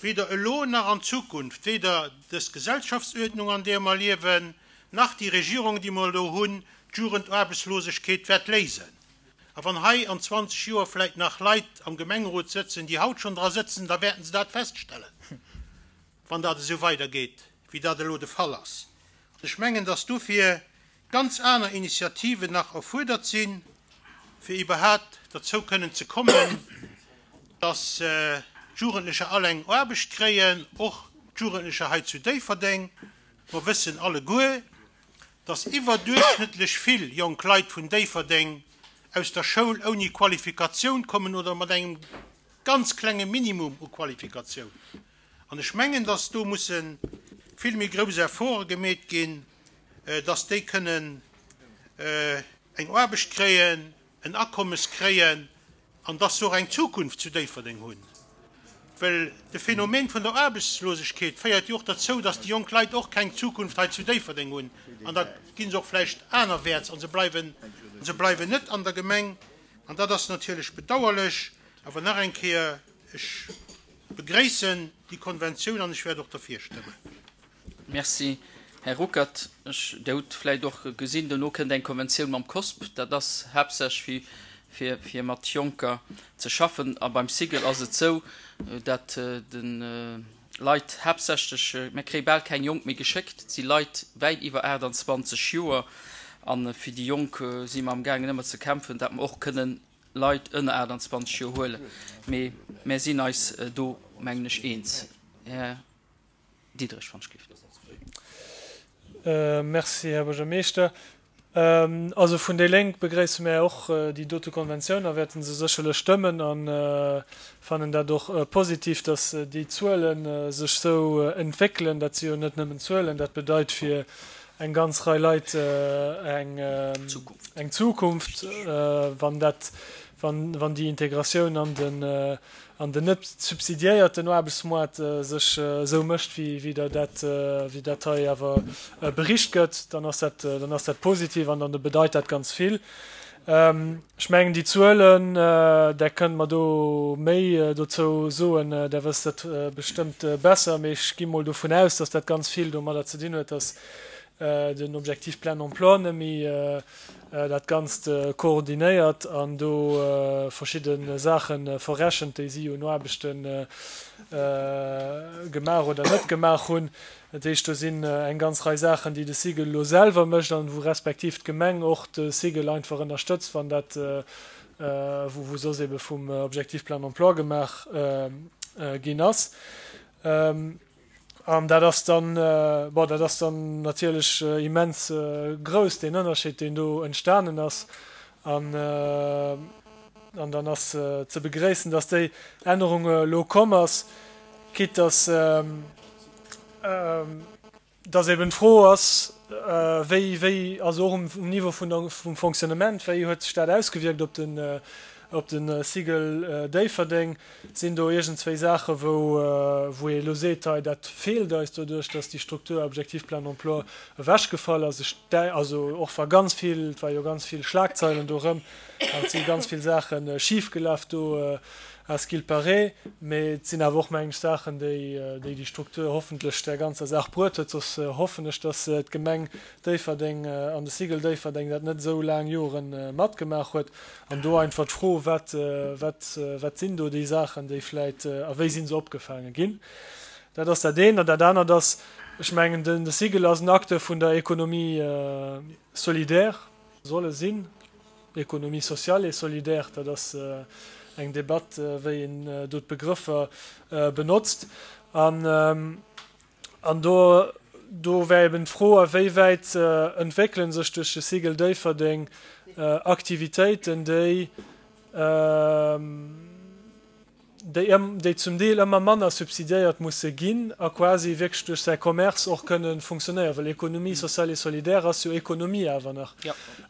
weder elo nach an Zukunft, weder dës Gesellschaftsuerdnung an deer mer liewen, nach déi Regierung déi mer elo hunn, d'Jugendaarbechtslosegkeet wäert léisen. A wann hei an 20 Joer vläit nach Leit am Gemengerot sëtzen, déi haut schonn dra sëtzen, da wäerten se dat feststellen, wann dat esou weidergeet, wéi dat elo de Fall ass. An ech mengen, dass dofir ganz aner Initiativen nach erfuerdert sinn, fir iwwerhaapt derzou kënnen ze kommen, dass d'Jugendlecher all eng Aarbecht kréien, och d'Jugendlecher hei zu Déifferdeng. Mer wëssen alleguer, dass iwwerduerchschnëttlech vill jonk Leit vun Déifferdeng aus der Schoul ouni Qualifikatioun kommen oder mat engem ganz klenge Minimum u Qualifikatioun. An ech mengen, dass do musse vill méi grouss Efforte gemeet ginn, dass déi kënnen eng Aarbecht kréien, en Akommes kréien an dass se och eng Zukunft zu Déifferdeng hunn. Well de Phänomen vun der Aarbechtslosegkeet féiert jo och derzou, dass déi jonk Leit och keng Zukunft hei zu Déifferdeng hunn an da gi se och vläicht anerwäerts a se bleiwen, se bleiwen net an der Gemeng. An dat ass natierlech bedauerlech. Awer nach eng Kéier, ech begréissen déi Konventioun an ech wäert och derfir stëmmen. Merci, Här Ruckert. Ech, Dir hutt vläicht och gesinn, dono kënnt eng Konventioun mam COSP. Dat ass haaptsächlech fir, fir mat Jonker ze schaffen. A beim Cigl ass et esou, dat de Leit haaptsächlech, mir kréie bal keng Jonk méi geschéckt, et si Leit wäit iwwer 28 Joer. A fir déi Jonk si mer amgaangen ëmmer ze kämpfen, dat mer och kënnen Leit ënner 28 Joer huelen. Mee mär sinn eis do, mengen ech, eens. Här Diderich, wann ech gelift. Merci, Här Buergermeeschter. Also vun déi Lénk begréisse mär och déi dote Konventioun a wäerte se sécherlech stëmmen a fannen dat och positiv, dass déi Zuele sech sou entwéckelen. Dat si jo net nëmmen Zuelen, dat bedeit fir eng ganz Rei Leit eng Zukunft, wann dat, wann déi Integratioun an den an den net subsidiéierten Aarbechtsmoart sech esou mécht, wéi der dat, wéi dat hei awer bericht gëtt, dann ass dat, dann ass dat positiv an dann bedeit dat ganz vill. Ech mengen déi Zuelen, Der kënnt mer do méi dozou soen, Der wësst dat bestëmmt besser, mee ech gi mol dovun aus, dass dat ganz vill domadder ze dinn huet, dass den Objectif plein emploi net méi dat Ganzt koordinéiert an do verschidde Saache verrechent, déi si un Aarbechte gemaach oder net gemaach hunn. Dat heescht, do sinn eng ganz Rei Saachen, déi de Cigl elo selwer mécht an wou respektiv d'Gemeng och de Cigl einfach ënnerstëtzt, wann dat, wou soss ebe vum Objectif plein emploi gemaach ginn ass. An dat ass dann, bon, dat ass dann natierlech immens grouss, deen Ënnerscheed, deen do entstanen ass. An, an dann ass ze begréissen, dass déi Ännerung elo komm ass, quitte dass, dass eben d'Fro ass, wéi, wéi, also och um Niveau vun der, vum Fonctionnement, wéi huet sech dat ausgewierkt op den, op de Cigl Déifferdeng? Sinn do iergendzwéi Saache wou, wou ee elo seet, hei dat feelt eis doduerch, dass déi Struktur Objectif plein emploi ewechgefall ass? Ech, also och wa ganz vill, et war jo ganz vill Schlagzeilen do erëm an et si ganz vill Saache schifgelaf do, à ce qu'il paraît, mee et sinn awer och, mengen ech, Saachen, déi déi Struktur hoffentlech där ganzer Saach bruet huet. Soss hoffen ech, dass d'Gemeng Déifferdeng an de Cigl Déifferdeng dat net esou laang Jore matgemaach huet. An do einfach d'Fro, wat, wat, wat sinn do déi Saachen, déi vläit, a wéi si se opgefaange ginn? Dat ass dat eent. An dat anert ass, ech mengen, de Cigl ass en Acteur vun der Économie solidaire, soll e sinn, Économie sociale et solidaire, dat ass eng Debatt, wéi een do d'Begrëffer benotzt. An An do, do wär eben d'Fro, a wéi wäit entwéckele sech duerch de Cigl Déifferdeng Aktivitéiten, déi, déi, déi zum Deel ëmmer manner subsidiéiert musse ginn a quasi wierklech duerch säi Commerce och kënnen funktionéieren. Well Économie sociale et solidaire ass jo Économie awer nach.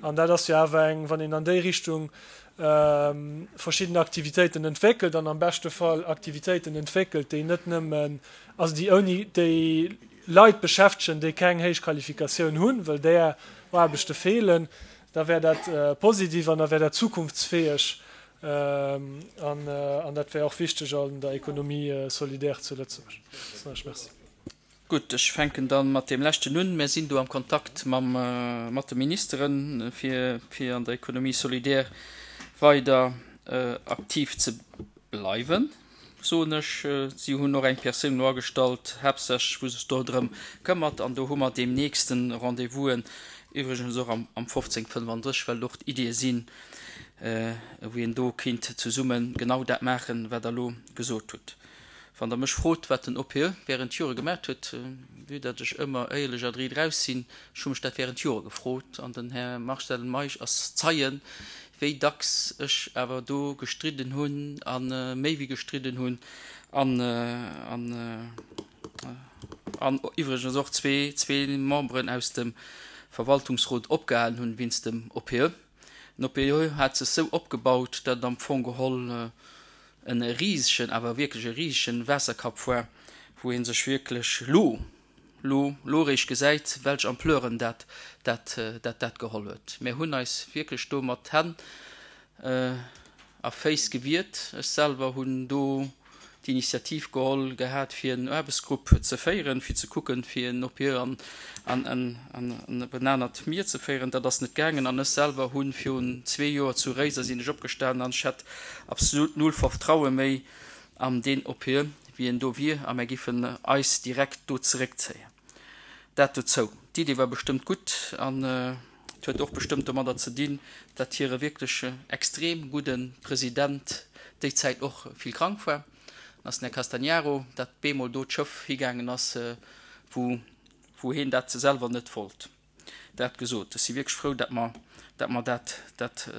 An dat ass jo awer eng, wann een an déi Richtung verschidden Aktivitéiten entwéckelt an am beschte Fall Aktivitéiten entwéckelt, déi net nëmmen, also déi ouni, déi Leit beschäftegen, déi keng héich Qualifikatioun hunn, well där Aarbechte feelen, da wär dat positiv an da wär dat zukunftsfäeg. An dat wär och wichteg an der Économie solidaire zu Lëtzebuerg. Soen ech Merci. Gutt, ech fänken da mat deem leschten un. Mir sinn do am Kontakt mam, mat de Ministeren, fir, fir an der Économie solidaire weider aktiv ze bleiwen, soen ech. Si hunn och eng Persoun elo agestallt, haaptsächlech wou sech do drëm këmmert. An do hu mer deemnächst Rendez-vousen, iwwregens och am, am 1535, well och d'Iddie sinn, wou een do kéint zesumme genau dat maachen, wat Der elo gesot hutt. Wann Der mech frot, wat den OPE während Jore gemaat huet, vue datt ech ëmmer éierlech a driit eraus sinn, ech hu mech dat während Jore gefrot, an den Här Marcel Meisch ass Zeien, wéi dacks ech awer do gestridden hunn a méi wéi gestridden hunn an, an, an iwwregens och zwee Memberen aus dem Verwaltungsrot opgehalen hunn wéinst dem OPE. Den OPE hat sech sou opgebaut, datt et am Fong geholl en risegen, awer wierklech e risegen Waasserkapp war, wou ee sech wierklech lo, lo, lo eréischt gesäit, welch Ampleuren dat, dat, dat, dat geholl huet. Mir hunn eis wierklech do mat Hänn a Féiss gewiert. Ech selwer hunn do d'Initiativ geholl gehat, fir en Aarbechtsgrupp ze féieren, fir ze kucken, fir en OPE an, an, an, an op en anert Mier ze féieren. Dat ass net gaangen. An ech selwer hu virun zwee Joer zu Réiser sinn ech opgestanen an ech hätt absolut null Vertraue méi an deen OPE, wéi en do wier, a mär giffen eis direkt do zeréckzéien. Dat dozou. D'Idee war bestëmmt gutt an et huet och bestëmmt domadder ze dinn, datt hire wierklech extrem gudde President déi Zäit och vill krank war, an ass den Här Castagnaro, datt bemol do d'Schëff higaangen ass, wou wou hien dat selwer net wollt. Dat gesot, ech si wierklech frou, datt mer, datt mer dat, dat,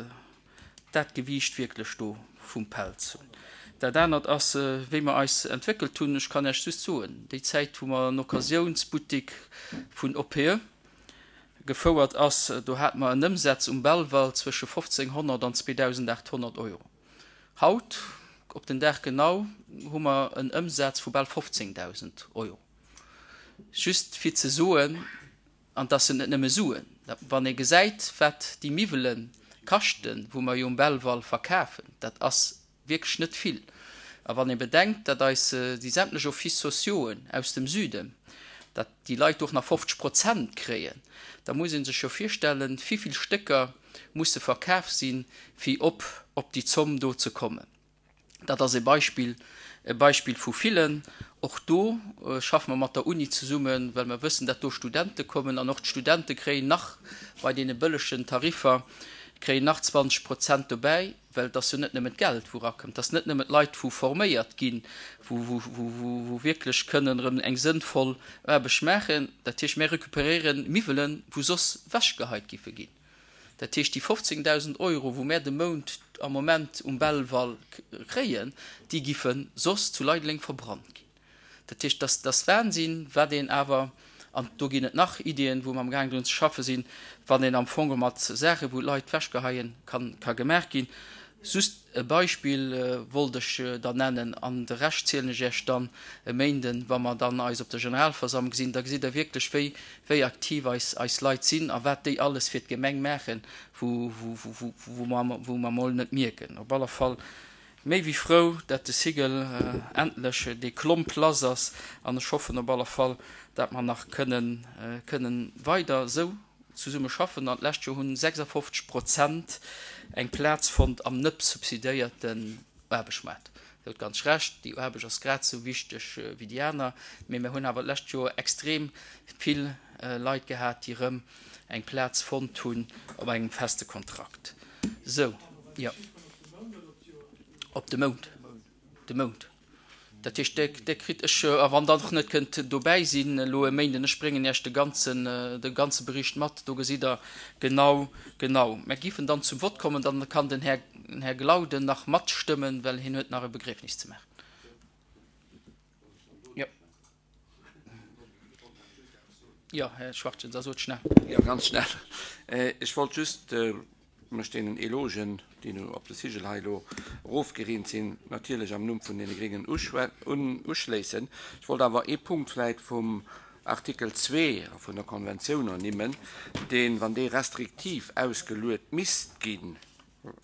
dat Gewiicht wierklech do vum Pelz hunn. Dat anert ass, wéi mer eis entwéckelt hunn. Ech kann Iech just soen, déi Zäit, wou mer en Occasiounsbuttik vun OPE gefouert ass, do hate mer en Ëmsaz um Belval zwësche 1.500 an 2.800 Euro. Haut, op den Dag genau, hu mer en Ëmsaz vu bal 15.000 Euro. Just fir ze soen, An dass sinn net nëmme Suen. Wann ee gesäit, wat déi Miwwele kaschten, wou mer jo um Belval verkafen, dat ass wierklech net vill. A wann ee bedenkt, datt eis déi sämtlech Offices sociauxen aus dem Süden, datt déi Leit och nach 50 Prozent kréien, da muss ee sech jo virstellen, wivill Stécker musse verkaf sinn, fir op op déi Zomm do ze kommen. Dat ass e Beispill, e Beispill vu villen. Och do schaffe mer mat der Uni zesummen, well mer wëssen, dat do Studente kommen. An och d'Studente kréien nach bei deene bëllegen Tariffer, kréien nach 20 Prozent dobäi, well et ass jo net nëmmen d'Geld, wou erakëmmt. Et ass net nëmmen d'Leit, wou forméiert ginn, wou, wou, wou wierklech kënnen erëm eng sënnvoll Aarbecht maachen. Dat heescht, mir recuperéieren Miwwelen, wou soss wechgeheit giffe ginn. Dat heescht, déi 15.000 Euro, wou mär de Mount am Moment um Belval kréien, déi giffe soss zu Leideleng verbrannt ginn. Dat heescht, dat ass Wahnsinn, wat een awer, an do ginn et nach Iddien, wou mer amgaang drun ze schaffe sinn, wann een am Fong mat Saachen, wou d'Leit wechgeheien, ka gemaach ginn. Just e Beispill wollt ech der nennen, an de Rescht zielen ech Iech dann e Méinden, wa mer dann eis op der Generalversammlung gesinn. Da gesitt Der wierklech, wéi, wéi aktiv eis, eis Leit sinn a wat déi alles fir d'Gemeng maachen, wou, wou, wou, wou mer, wou mer emol net mierken. Op alle Fall méi wéi frou, dat de Sigel endlech dee Klomp lass ass, an ech hoffen op alle Fall, dat mer nach kënnen, kënnen weider esou Zesumme schaffen an d'lescht Joer hunn 56 Prozent eng Plaz fonnt am net subsidéierten Aarbechtsmaart. Dir hutt ganz Recht, déi Aarbecht ass grad esou wichteg wéi déi aner, mee mir hunn awer d'lescht Joer extrem vill Leit gehat, déi erëm eng Plaz fonnt hunn op engem feste Kontrakt. Esou, jo, op de Mount, de Mount. Dat heescht, Dir kritt, ech, a wann Der och net kënnt dobäi sinn elo e Méinden, ech bréngen Iech de ganzen, de ganze Bericht mat, do gesitt Der genau, genau. Mer géifen dann zum Vott kommen, dann kann den Här, Här Glauden nach matstëmmen, well hien huet nach e Begriefnis ze maachen. Jo. Jo, Här Schwachtgen, da sot schnell. Jo, ganz schnell. Ech wollt just mech deenen Elogen, déi nu op de Sigel hei elo erofgereent sinn, natierlech am Numm vun deene Gréngen uschléissen. Ech wollt awer ee Punkt vläicht vum Artikel 2 vun der Konventioun ernimmen, deen, wann dee restriktiv ausgeluet misst ginn,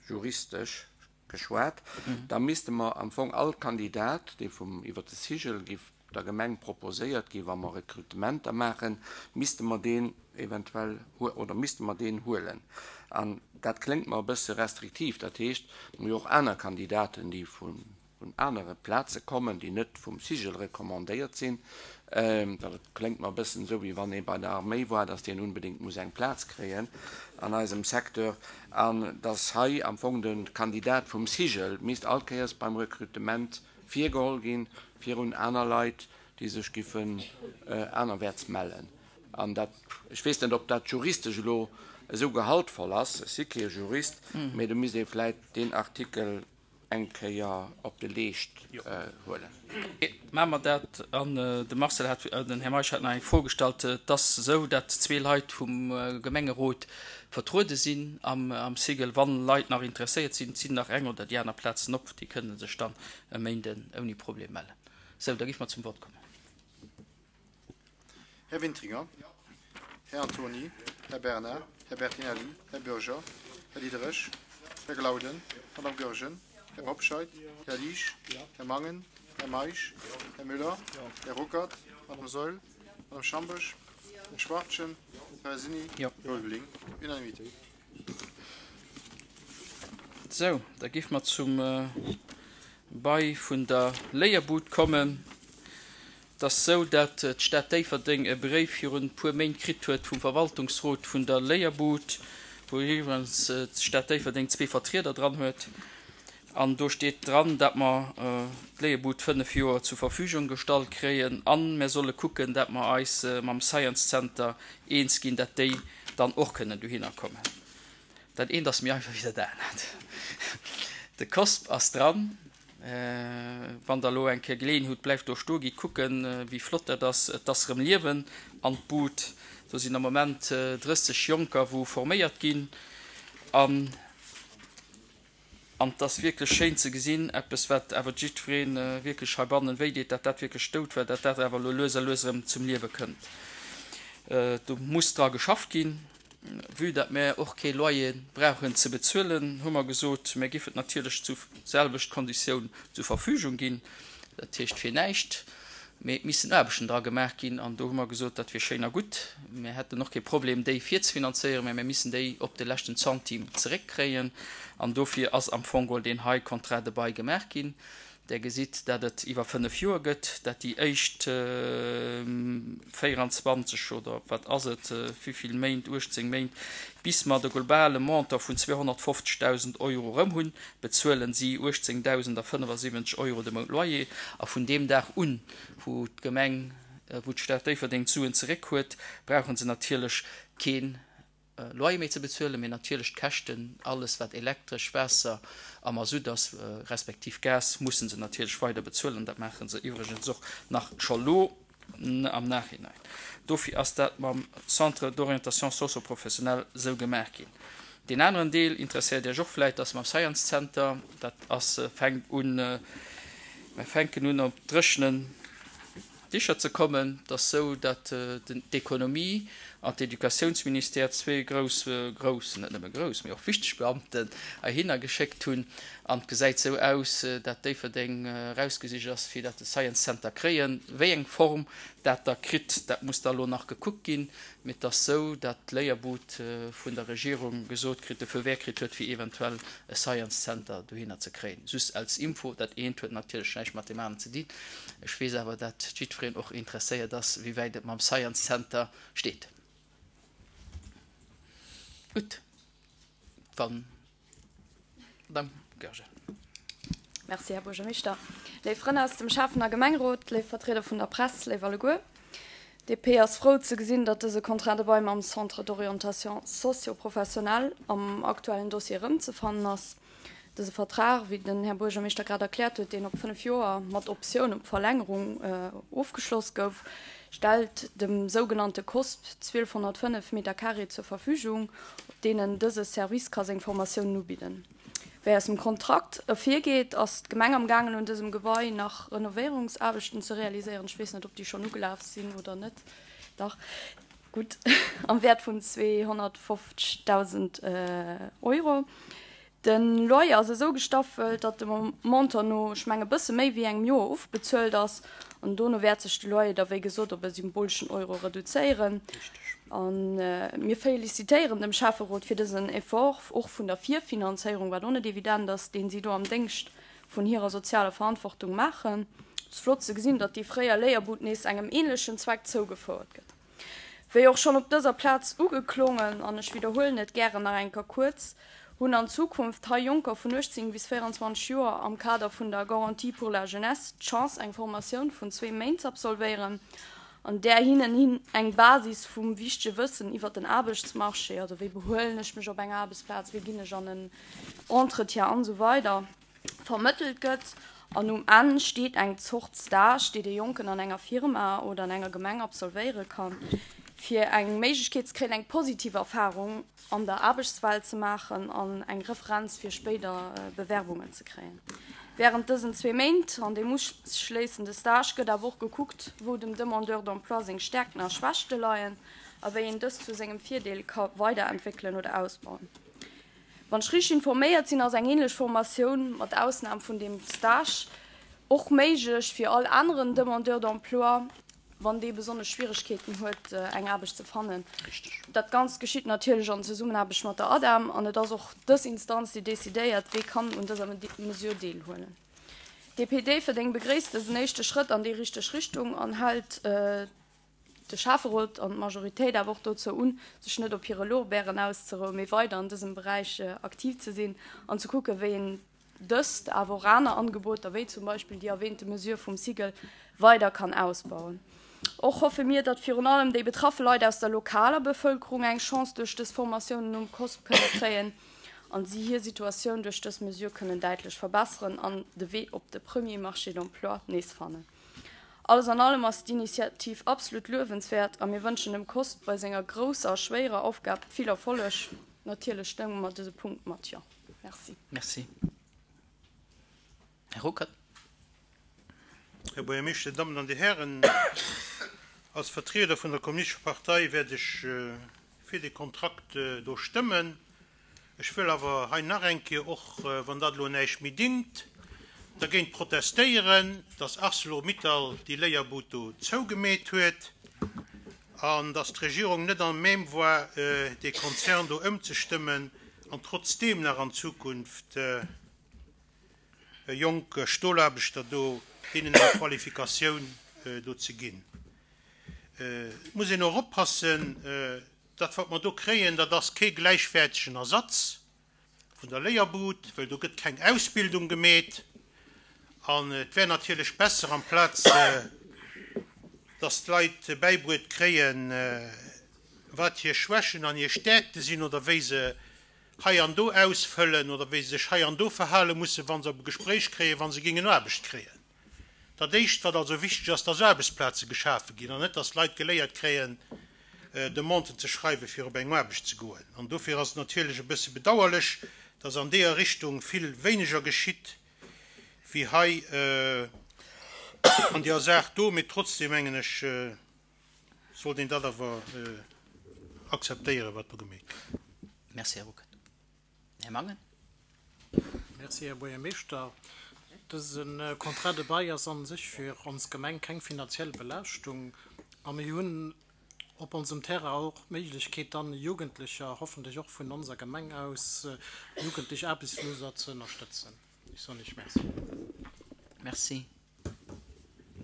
juristesch. geschwat, da misste mer am Fong all Kandidat, dee vum iwwer de Cigl giff der Gemeng proposéiert ginn, wa mer Rekrutementer maachen, misste mer deen eventuell oder misste mer deen huelen. An dat kléngt mer e bësse restriktiv. Dat heescht, mer hu jo och aner Kandidaten, déi vun anere Plaze kommen, déi net vum Cigl recommandéiert sinn. Dat kléngt mer e bëssen esou, wéi wann ee bei der Arméi war, dass deen unbedéngt muss eng Plaz kréien an eisem Secteur. An dass hei am Fong de Kandidat vum Cigl misst all Kéiers beim Rekrutement virgeholl ginn, virun aner Leit, déi sech giffen anerwäerts mellen. An dat, ech weess net, ob dat juristesch elo esou gehaltvoll ass, ech si kee Jurist, mee do misst ee vläit deen Artikel eng Kéier op de Leescht huelen. Maache mer dat. An de Marcel hat, den Här Meisch hat nach eng Fro gestallt. Et ass esou, datt zwee Leit vum Gemengerot vertruede sinn am Cigl. Wann Leit nach interesséiert sinn, et sinn nach eng oder déi aner Plazen op, déi kënne sech dann e Méinden ouni Problem mellen. Sou, da géife mer zum Vott kommen. Här Wintringer, Här Antony, Här Bernard, Här Bertinelli, Här Bürger, Här Diderich, Här Glauden, Madame Goergen, Här Hobscheit, Här Liesch, Här Mangen, Här Meisch, Här Müller, Här Ruckert, Madame Saeul, Madame Schamboesch, Här Schwachtgen, Här Sini, Här Ulveling. Unanimité. Sou, da géife mer zum Bail vun der Léierbud kommen. Et ass sou, dat d'Stad Déifferdeng e Bréif virun e puer Méint kritt huet vum Verwaltungsrot vun der Léierbud, wou iwwregens d'Stad Déifferdeng zwee Vertrieder dran huet. An do steet dran, dat mer d'Léierbud 5 Joer zur Verfügung gestallt kréien a mer solle kucken, dat mer eis mam Science Center eens ginn, dat déi dann och kënnen dohinner kommen. Dat eent ass méi einfach wéi dat anert. De COSP ass dran. Wann Der elo eng Kéier Geleeën hutt, bleift do stoe, gitt kucken, wéi flott dat ass. Et ass erëm Liewen an d'Bud. Do sinn am Moment 30 Jonker, wou forméiert ginn. An et ass wierklech schéin ze gesinn, eppes, wat awer jiddweree wierklech heibannen wéideet, datt dat wierklech dout war, datt dat awer elo lues a lues erëm zum Liewe kënnt. Do muss dra geschafft ginn. Vue dat mär och kee Loyer brauchen ze bezuelen, hu mer gesot, mär giffen et natierlech zu selwecht Konditioun zur Verfügung ginn, dat heescht fir näischt, mee et missten Aarbechten dra gemaach ginn. An do hu mer gesot, dat wier schéin a gutt, mär hätten och kee Problem déi virzefinanzéieren, mä mär missen déi op de leschten Centime zeréckkréien. An dofir ass am Fong geholl deen hei Contrat de bail gemaach ginn. Der gesitt, dat et iwwer 5 Joer gëtt, dat déi éischt 24 oder wat ass et, wéivill Méint, 18 Méint, bis mer de globale Montant vun 250.000 Euro erëm hunn, bezuelen si 18.075 Euro de Mount Loyer. A vun deem Dag un, wou d'Gemeng, wou d'Stad Déifferdeng d'Suen zeréck huet, brauche se natierlech keen Loyer méi ze bezuelen, mee natierlech d'Käschten, alles wat Elektresch, Waasser a Masutt ass, respektiv Gas, mussen se natierlech weider bezuelen. Dat maache se iwwregens och nach scho lo am Nachhinein. Dofir ass dat mam Centre d'orientation socio-professionnelle sou gemaach ginn. Deen aneren Deel interesséiert Iech och vläit, ass mam Science Center. Dat ass, fänkt un, mer fänken un op dréchenen Dicher ze kommen. Et ass sou, datt d'Ekonomie an d'Educatiounsministère zwee grouss, grouss, net nëmme grouss, mee och wichteg Beamten heihinner geschéckt hunn. An et gesäit sou aus, dat Déifferdeng erausgesicht ass, fir dat de Science Center kréien. Wéi eng Form dat da kritt, dat muss da elo nach gekuckt ginn. Mee et ass sou, datt d'Léierbud vun der Regierung gesot kritt, de Feu vert kritt huet, fir eventuell e Science Center dohinner ze kréien. Just als Info, dat eent huet natierlech näischt mat deem aneren ze dinn. Ech weess awer, dat jiddwereen och interesséiert ass, wéi wäit et mam Science Center steet. Gutt, wann. Madame Goergen. Merci, Här Buergermeeschter. Léif Frënn aus dem Schäffen a Gemengerot, léif Vertrieder vun der Press, léif alleguer. DP ass frou ze gesinn, datt dëse Contrat de bail mam Centre d'orientation socio-professionnelle am aktuellen Dossier erëmzefannen ass. Dëse Vertrag, wéi den Här Buergermeeschter grad erkläert huet, deen op 5 Joer mat Optioun op Verlängerung ofgeschloss gouf, stellt dem sougenannte COSP 1205 Meter carré zur Verfügung, op deenen dëse Service ka seng Formatiounen ubidden. Wéi aus dem Kontrakt ervirgeet, ass d'Gemeng am gaangen un dësem Gebai nach Renovéierungsaarbechten ze realiséieren. Ech weess net, ob déi schonn ugelaf sinn oder net. Dach, gutt. Am Wäert vun 250.000 Euro. De Loyer ass esou gestaffelt, datt de Montant no, ech mengen, e bësse méi wéi engem Joer ofbezuelt ass. An dono wäert sech de Loyer da wéi gesot op e symboleschen Euro reduzéieren. A mir félicitéieren dem Schäfferot fir dësen Effort, och vun der Virfinanzéierung, wat och net evident ass, deen si do am Déngscht vun hirer sozialer Verantwortung maachen. Et ass flott ze gesinn, datt déi fréier Léierbud nees engem ähnlechen Zweck zougefouert gëtt. Wéi och schonn op dëser Plaz ugeklongen, an ech widderhuelen et gären nach eng Kéier kuerz, hunn an Zukunft hei Jonker vun 18 bis 24 Joer am Kader vun der Garantie pour la jeunesse d'Chance eng Formatioun vun zwee Méint z'absolvéieren, an där hinnen hin eng Basis vum wichtege Wëssen iwwert den Aarbechtsmarché, also wéi behuelen ech mech op enger Aarbechtsplaz, wéi ginn ech an en Entretien an esou weider. Vermëttelt gëtt an um Enn steet eng Zort Stage, déi de Jonken an enger Firma oder an enger Gemeng absolvéiere kann, fir eng Méiglechkeet ze kréien, eng positiv Erfarung an der Aarbechtswelt ze maachen an eng Referenz fir spéider Bewerbungen ze kréien. Wärend dësen zwee Méint an dem uschléissende Stage gëtt awer och gekuckt, wou dem Demandeur d'emploi seng Stäerkten a Schwächte leien a wéi een dës zu sengem Virdeel ka weiderentwéckelen oder ausbauen. Wann ech richteg informéiert sinn, ass eng ähnlech Formatioun, mat Ausnam vun deem Stage, och méiglech fir all aneren Demandeur d'emploi, wann dee besonnesch Schwieregkeeten huet, eng Aarbecht ze fannen. Dat Ganzt geschitt natierlech an Zesummenaarbecht mat der ADEM an et ass och dës Instanz, déi decidéiert, wee kann un dëser Mesure deelhuelen. DP Déifferdeng begréisst dësen éischte Schrëtt an déi richteg Richtung an hält de Schäfferot an d'Majoritéit awer och dozou un, sech net op hire Lorbeeren auszerouen, mee weider an dësem Beräich aktiv ze sinn an ze kucken, wéi een dëst, awer och aner Angeboter, wéi zum Beispill déi erwähnte Mesure vum SIGEL, weider kann ausbauen. Och hoffe mir, datt virun allem déi betraffe Leit aus der lokaler Bevëlkerung eng Chance duerch dës Formatiounen um COSP kënne kréien an si hir Situatioun duerch dës Mesure kënnen däitlech verbesseren an de Wee op de premier Marché d'emploi nees fannen. Alles an allem ass d'Initiativ absolut luewenswäert a mir wënschen dem COSP bei senger grousser a schwéierer Aufgab vill Erfolleg. Natierlech stëmme mer dëse Punkt mat Jo. Merci. Merci. Här Ruckert. Här Buergermeeschter, Dir Dammen an Dir Hären, als Vertrieder vun der Kommunistescher Partei wäert ech fir dee Kontrakt do stëmmen. Ech wëll awer hei nach eng Kéier, och wann dat elo näischt méi dingt, dergéint protestéieren, dass Arcelor-Mittal déi Léierbud do zougemeet huet an dass d'Regierung net à même war, dee Konzern do ëmzestëmmen an trotzdeem nach an Zukunft jonk Stolaarbechter do deenen eng Qualifikatioun do ze ginn. Et muss een och oppassen, Dat, wat mer do kréien, dat ass kee gläichwäertegen Ersatz vun der Léierbud, well do gëtt keng Ausbildung gemeet. An et wär natierlech besser, amplaz dass d'Leit bäibruet kréien, wat hir Schwächen an hir Stäerkte sinn oder wéi se hei an do ausfëllen oder wéi se sech hei an do verhale mussen, wa se op e Gespréich kréien, wa se géingen Aarbecht kréien. Dat Éischt, wat also wichteg ass, dass Aarbechtsplaze geschafe ginn an net, dass d'Leit geléiert kréien, Demanden ze schreiwen, fir op eng Aarbecht ze goen. An dofir ass et natierlech e bësse bedauerlech, dass an deeër Richtung vill wéineger geschitt wéi hei an deeër Saach do. Mee trotzdem, mengen ech, sollt een dat awer akzeptéieren, wat do gemeet gëtt. Merci, Här Ruckert. Här Mangen. Merci, Här Buergermeeschter. Dëse Contrat de bail ass a sech fir ons Gemeng keng finanziell Belaaschtung a mir hunn op onsem Terrain och d'Méiglechkeet dann Jugendlecher, hoffentlech och vun onser Gemeng aus, jugendlech Aarbechtsloser ze ënnerstëtzen. Ech soen Iech Merci. Merci.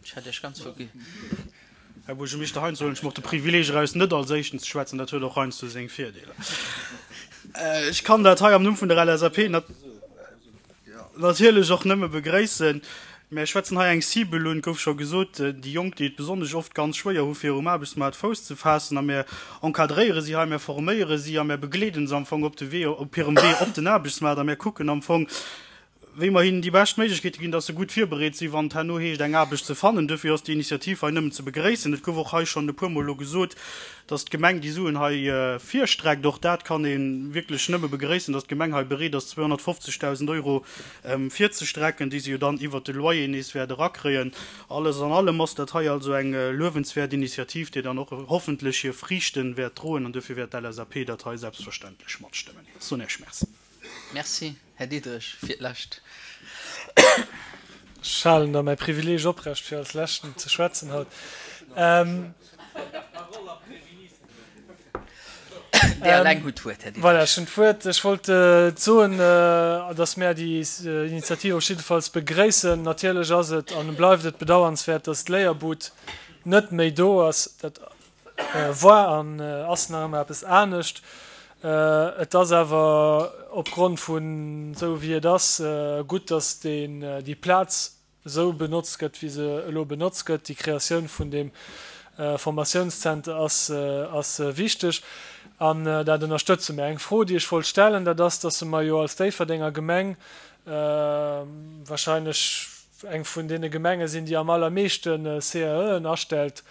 Ech hat Iech ganz vergi. Här Buergermeeschter, heiansdo huelen ech mer och de Privileeg eraus, net als Éischten ze schwätzen. Dat huet och heiansdo seng Virdeeler. Ech kann dat hei am Numm vun der LSAP natierlech och nëmme begréissen. Mir schwätzen hei eng Cible un, et gouf scho gesot, déi Jonk, déi et besonnesch oft ganz schwéier hu fir um Aarbechtsmaart Fouss ze faassen. A mir encadréiere si hei, mir forméiere si a mir begleeden se am Fong op de Wee, op hirem Wee op den Aarbechtsmaart. A mir kucken am Fong, wéi mer hinnen déi bescht Méiglechkeete ginn, dass se gutt virbereet sinn, wann et herno heescht, eng Aarbecht ze fannen. Duerfir ass déi Initiativ hei nëmmen ze begréissen. Et gouf och hei schonn e puermol elo gesot, dass d'Gemeng déi Suen hei virstreckt. Och dat kann ee wierklech nëmme begréissen, dass d'Gemeng hei bereet ass, 250.000 Euro virzestrecken, déi se jo dann iwwert de Loyer nees wäert erakréien. Alles an allem ass dat hei also eng luewenswäert Initiativ, déi dann och hoffentlech hir Friichte wäert droen. An duerfir wäert d'LSAP dat hei selbstverständlech matstëmmen. Ech soen Iech Merci. Merci, Här Diderich, fir d'Lescht. Ech halen da mäi Privileeg oprecht, fir als Leschten ze schwätzen haut. Dir eleng hutt d'Wuert, Här Diderich. Voilà, ech hunn d'Wuert. Ech wollt soen, dass mär déi Initiativ op jiddefalls begréissen. Natierlech ass et an bleift et bedauernswäert, dass d'Léierbud net méi do ass. Dat war an ass nach ëmmer eppes anescht. Et ass awer opgrond vun esou wéi et ass gutt, datt deen, déi Plaz esou benotzt gëtt, wéi se elo benotzt gëtt. Déi Kreatioun vun deem Formatiounszenter ass, ass wichteg an dat ënnerstëtze mir. Eng Fro, déi ech wollt stellen, dat ass, datt mer jo als Déifferdenger Gemeng wahrscheinlech eng vun deene Gemenge sinn, déi am allermeeschte CAEen astellt,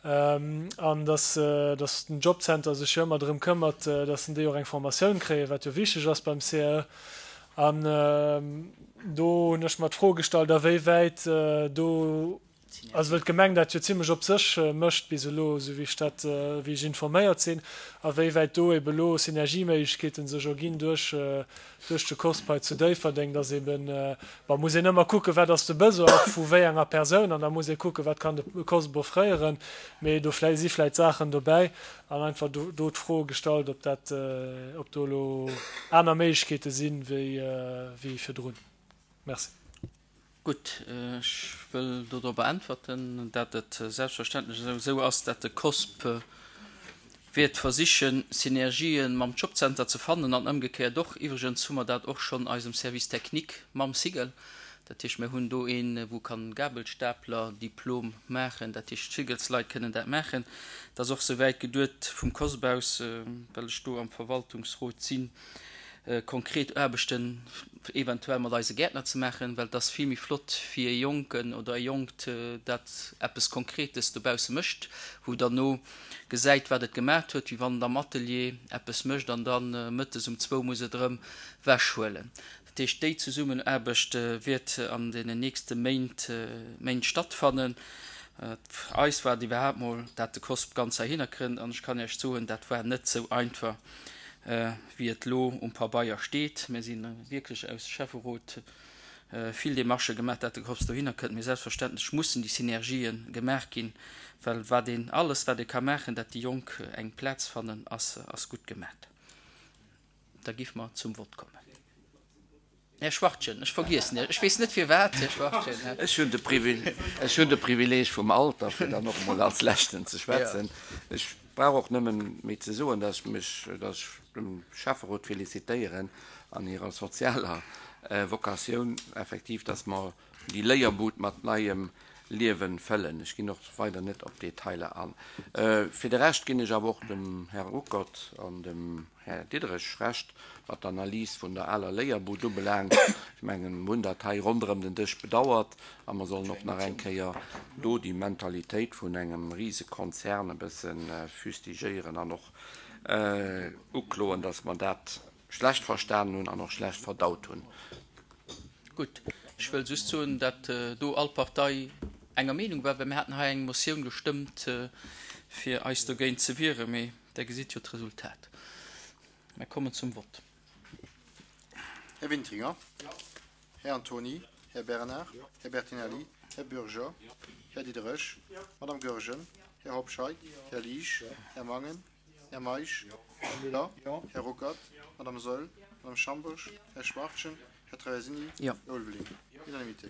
an dass den Jobcenter sech jo ëmmer drëm këmmert, dass en déi och eng Formatioun kréien, wat jo wichteg ass beim CAE. An do hunn ech mer d'Fro gestallt, awéiwäit do, also well d'Gemeng dat jo zimlech op sech mécht bis elo, esou wéi ech dat, wéi ech informéiert sinn, awéiwäit do ebe lo Synergieméiglechkeete sech erginn duerch duerch de COSP hei zu Déifferdeng, dass eben, bon, muss een ëmmer kucken, wat ass de Besoin och vu wéi enger Persoun an da muss ee kucken, wat kann de COSP offréieren, mee do vläi si vläicht Saachen dobäi an einfach do do d'Fro gestallt, ob dat, ob do elo aner Méiglechkeete sinn, wéi wéi virdrun. Merci. Gutt, ech wëll dodropper äntwerten, dat et selbstverständlech esou ass, dat de COSP wäert versichen, Synergië mam Jobcenter ze fannen an ëmgekéiert och. Iwwregens hu mer dat och schonn eisem Service technique mam Cigl. Dat heescht, mir hunn do een, wou kann Gabelstapler-Diplom maachen. Dat heescht, d'Cigls-Leit kënnen dat maachen. Et ass och souwäit geduet vum COSP aus, well ech do am Verwaltungsrot sinn, konkret Aarbechten eventuell mat eise Gäertner ze maachen, well et ass vill méi flott fir e Jonken oder e Jonkt, dat eppes Konkretes dobausse mécht, wou derno gesäit, wat et gemaacht huet, wéi wann et am Atelier eppes mécht an da mëttes um zwou muss et erëm wechhuelen. Dat heescht, déi Zesummenaarbecht wäert an deenen nächste Méint Méint stattfannen. Fir eis war et iwwerhaapt mol, dat de COSP ganz heihinner kënnt an ech kann Iech soen, dat war net sou einfach. wéi et elo um Pabeier steet. Mir si wierklech aus Schäfferot vill Demarchë gemaach, dat de COPS dohinner kënnt. Mee selbstverständlech mussen déi Synergië gemaach ginn, well wat een, alles wat ee ka maachen, dat déi Jonk eng Plaz fannen, ass gutt gemaach. Da géife mer zum Vott kommen. Här Schwachtgen, ech vergiessen Iech, ech weess net firwat, Här Schwachtgen. Ech hunn de Ech hunn de Privileeg vum Alter, fir dann och emol als Leschten ze schwätzen. Ech brauch och nëmmen méi ze soen, dass ech mech, dass ech dem Schäfferot felicitéieren an hirer sozialer Vocatioun, effektiv, dass mer déi Léierbud mat neiem Liewen fëllen. Ech ginn och weider net op Detailer an. Fir de Rescht ginn ech awer och dem Här Ruckert an dem Här Diderich Recht, wat d'Analys vun der aler Léierbud ubelaangt. Ech mengen, mer hunn dat hei ronderëm den Dësch bedauert a mer sollen och nach eng Kéier do déi Mentalitéit vun engem Risekonzern e bësse fustigéieren an och ukloen, dass mer dat schlecht verstanen hunn an och schlecht verdaut hunn. Gutt, ech wëll just soen, dat do all Partei enger Meenung war, well mir haten hei eng Motioun gestëmmt, fir eis dogéint ze wieren, mee Der gesitt jo d'Resultat. Mir kommen zum Vott. Här Wintringer. Här Antony. Här Bernard. Här Bertinelli. Här Bürger. Här Diderich. Madame Goergen. Här Hobscheit. Här Liesch. Här Mangen. Här Meisch. Här Müller. Här Ruckert. Madame Saeul. Madame Schambourg. Här Schwachtgen. Här Traversini. Här Ulveling. Unanimité.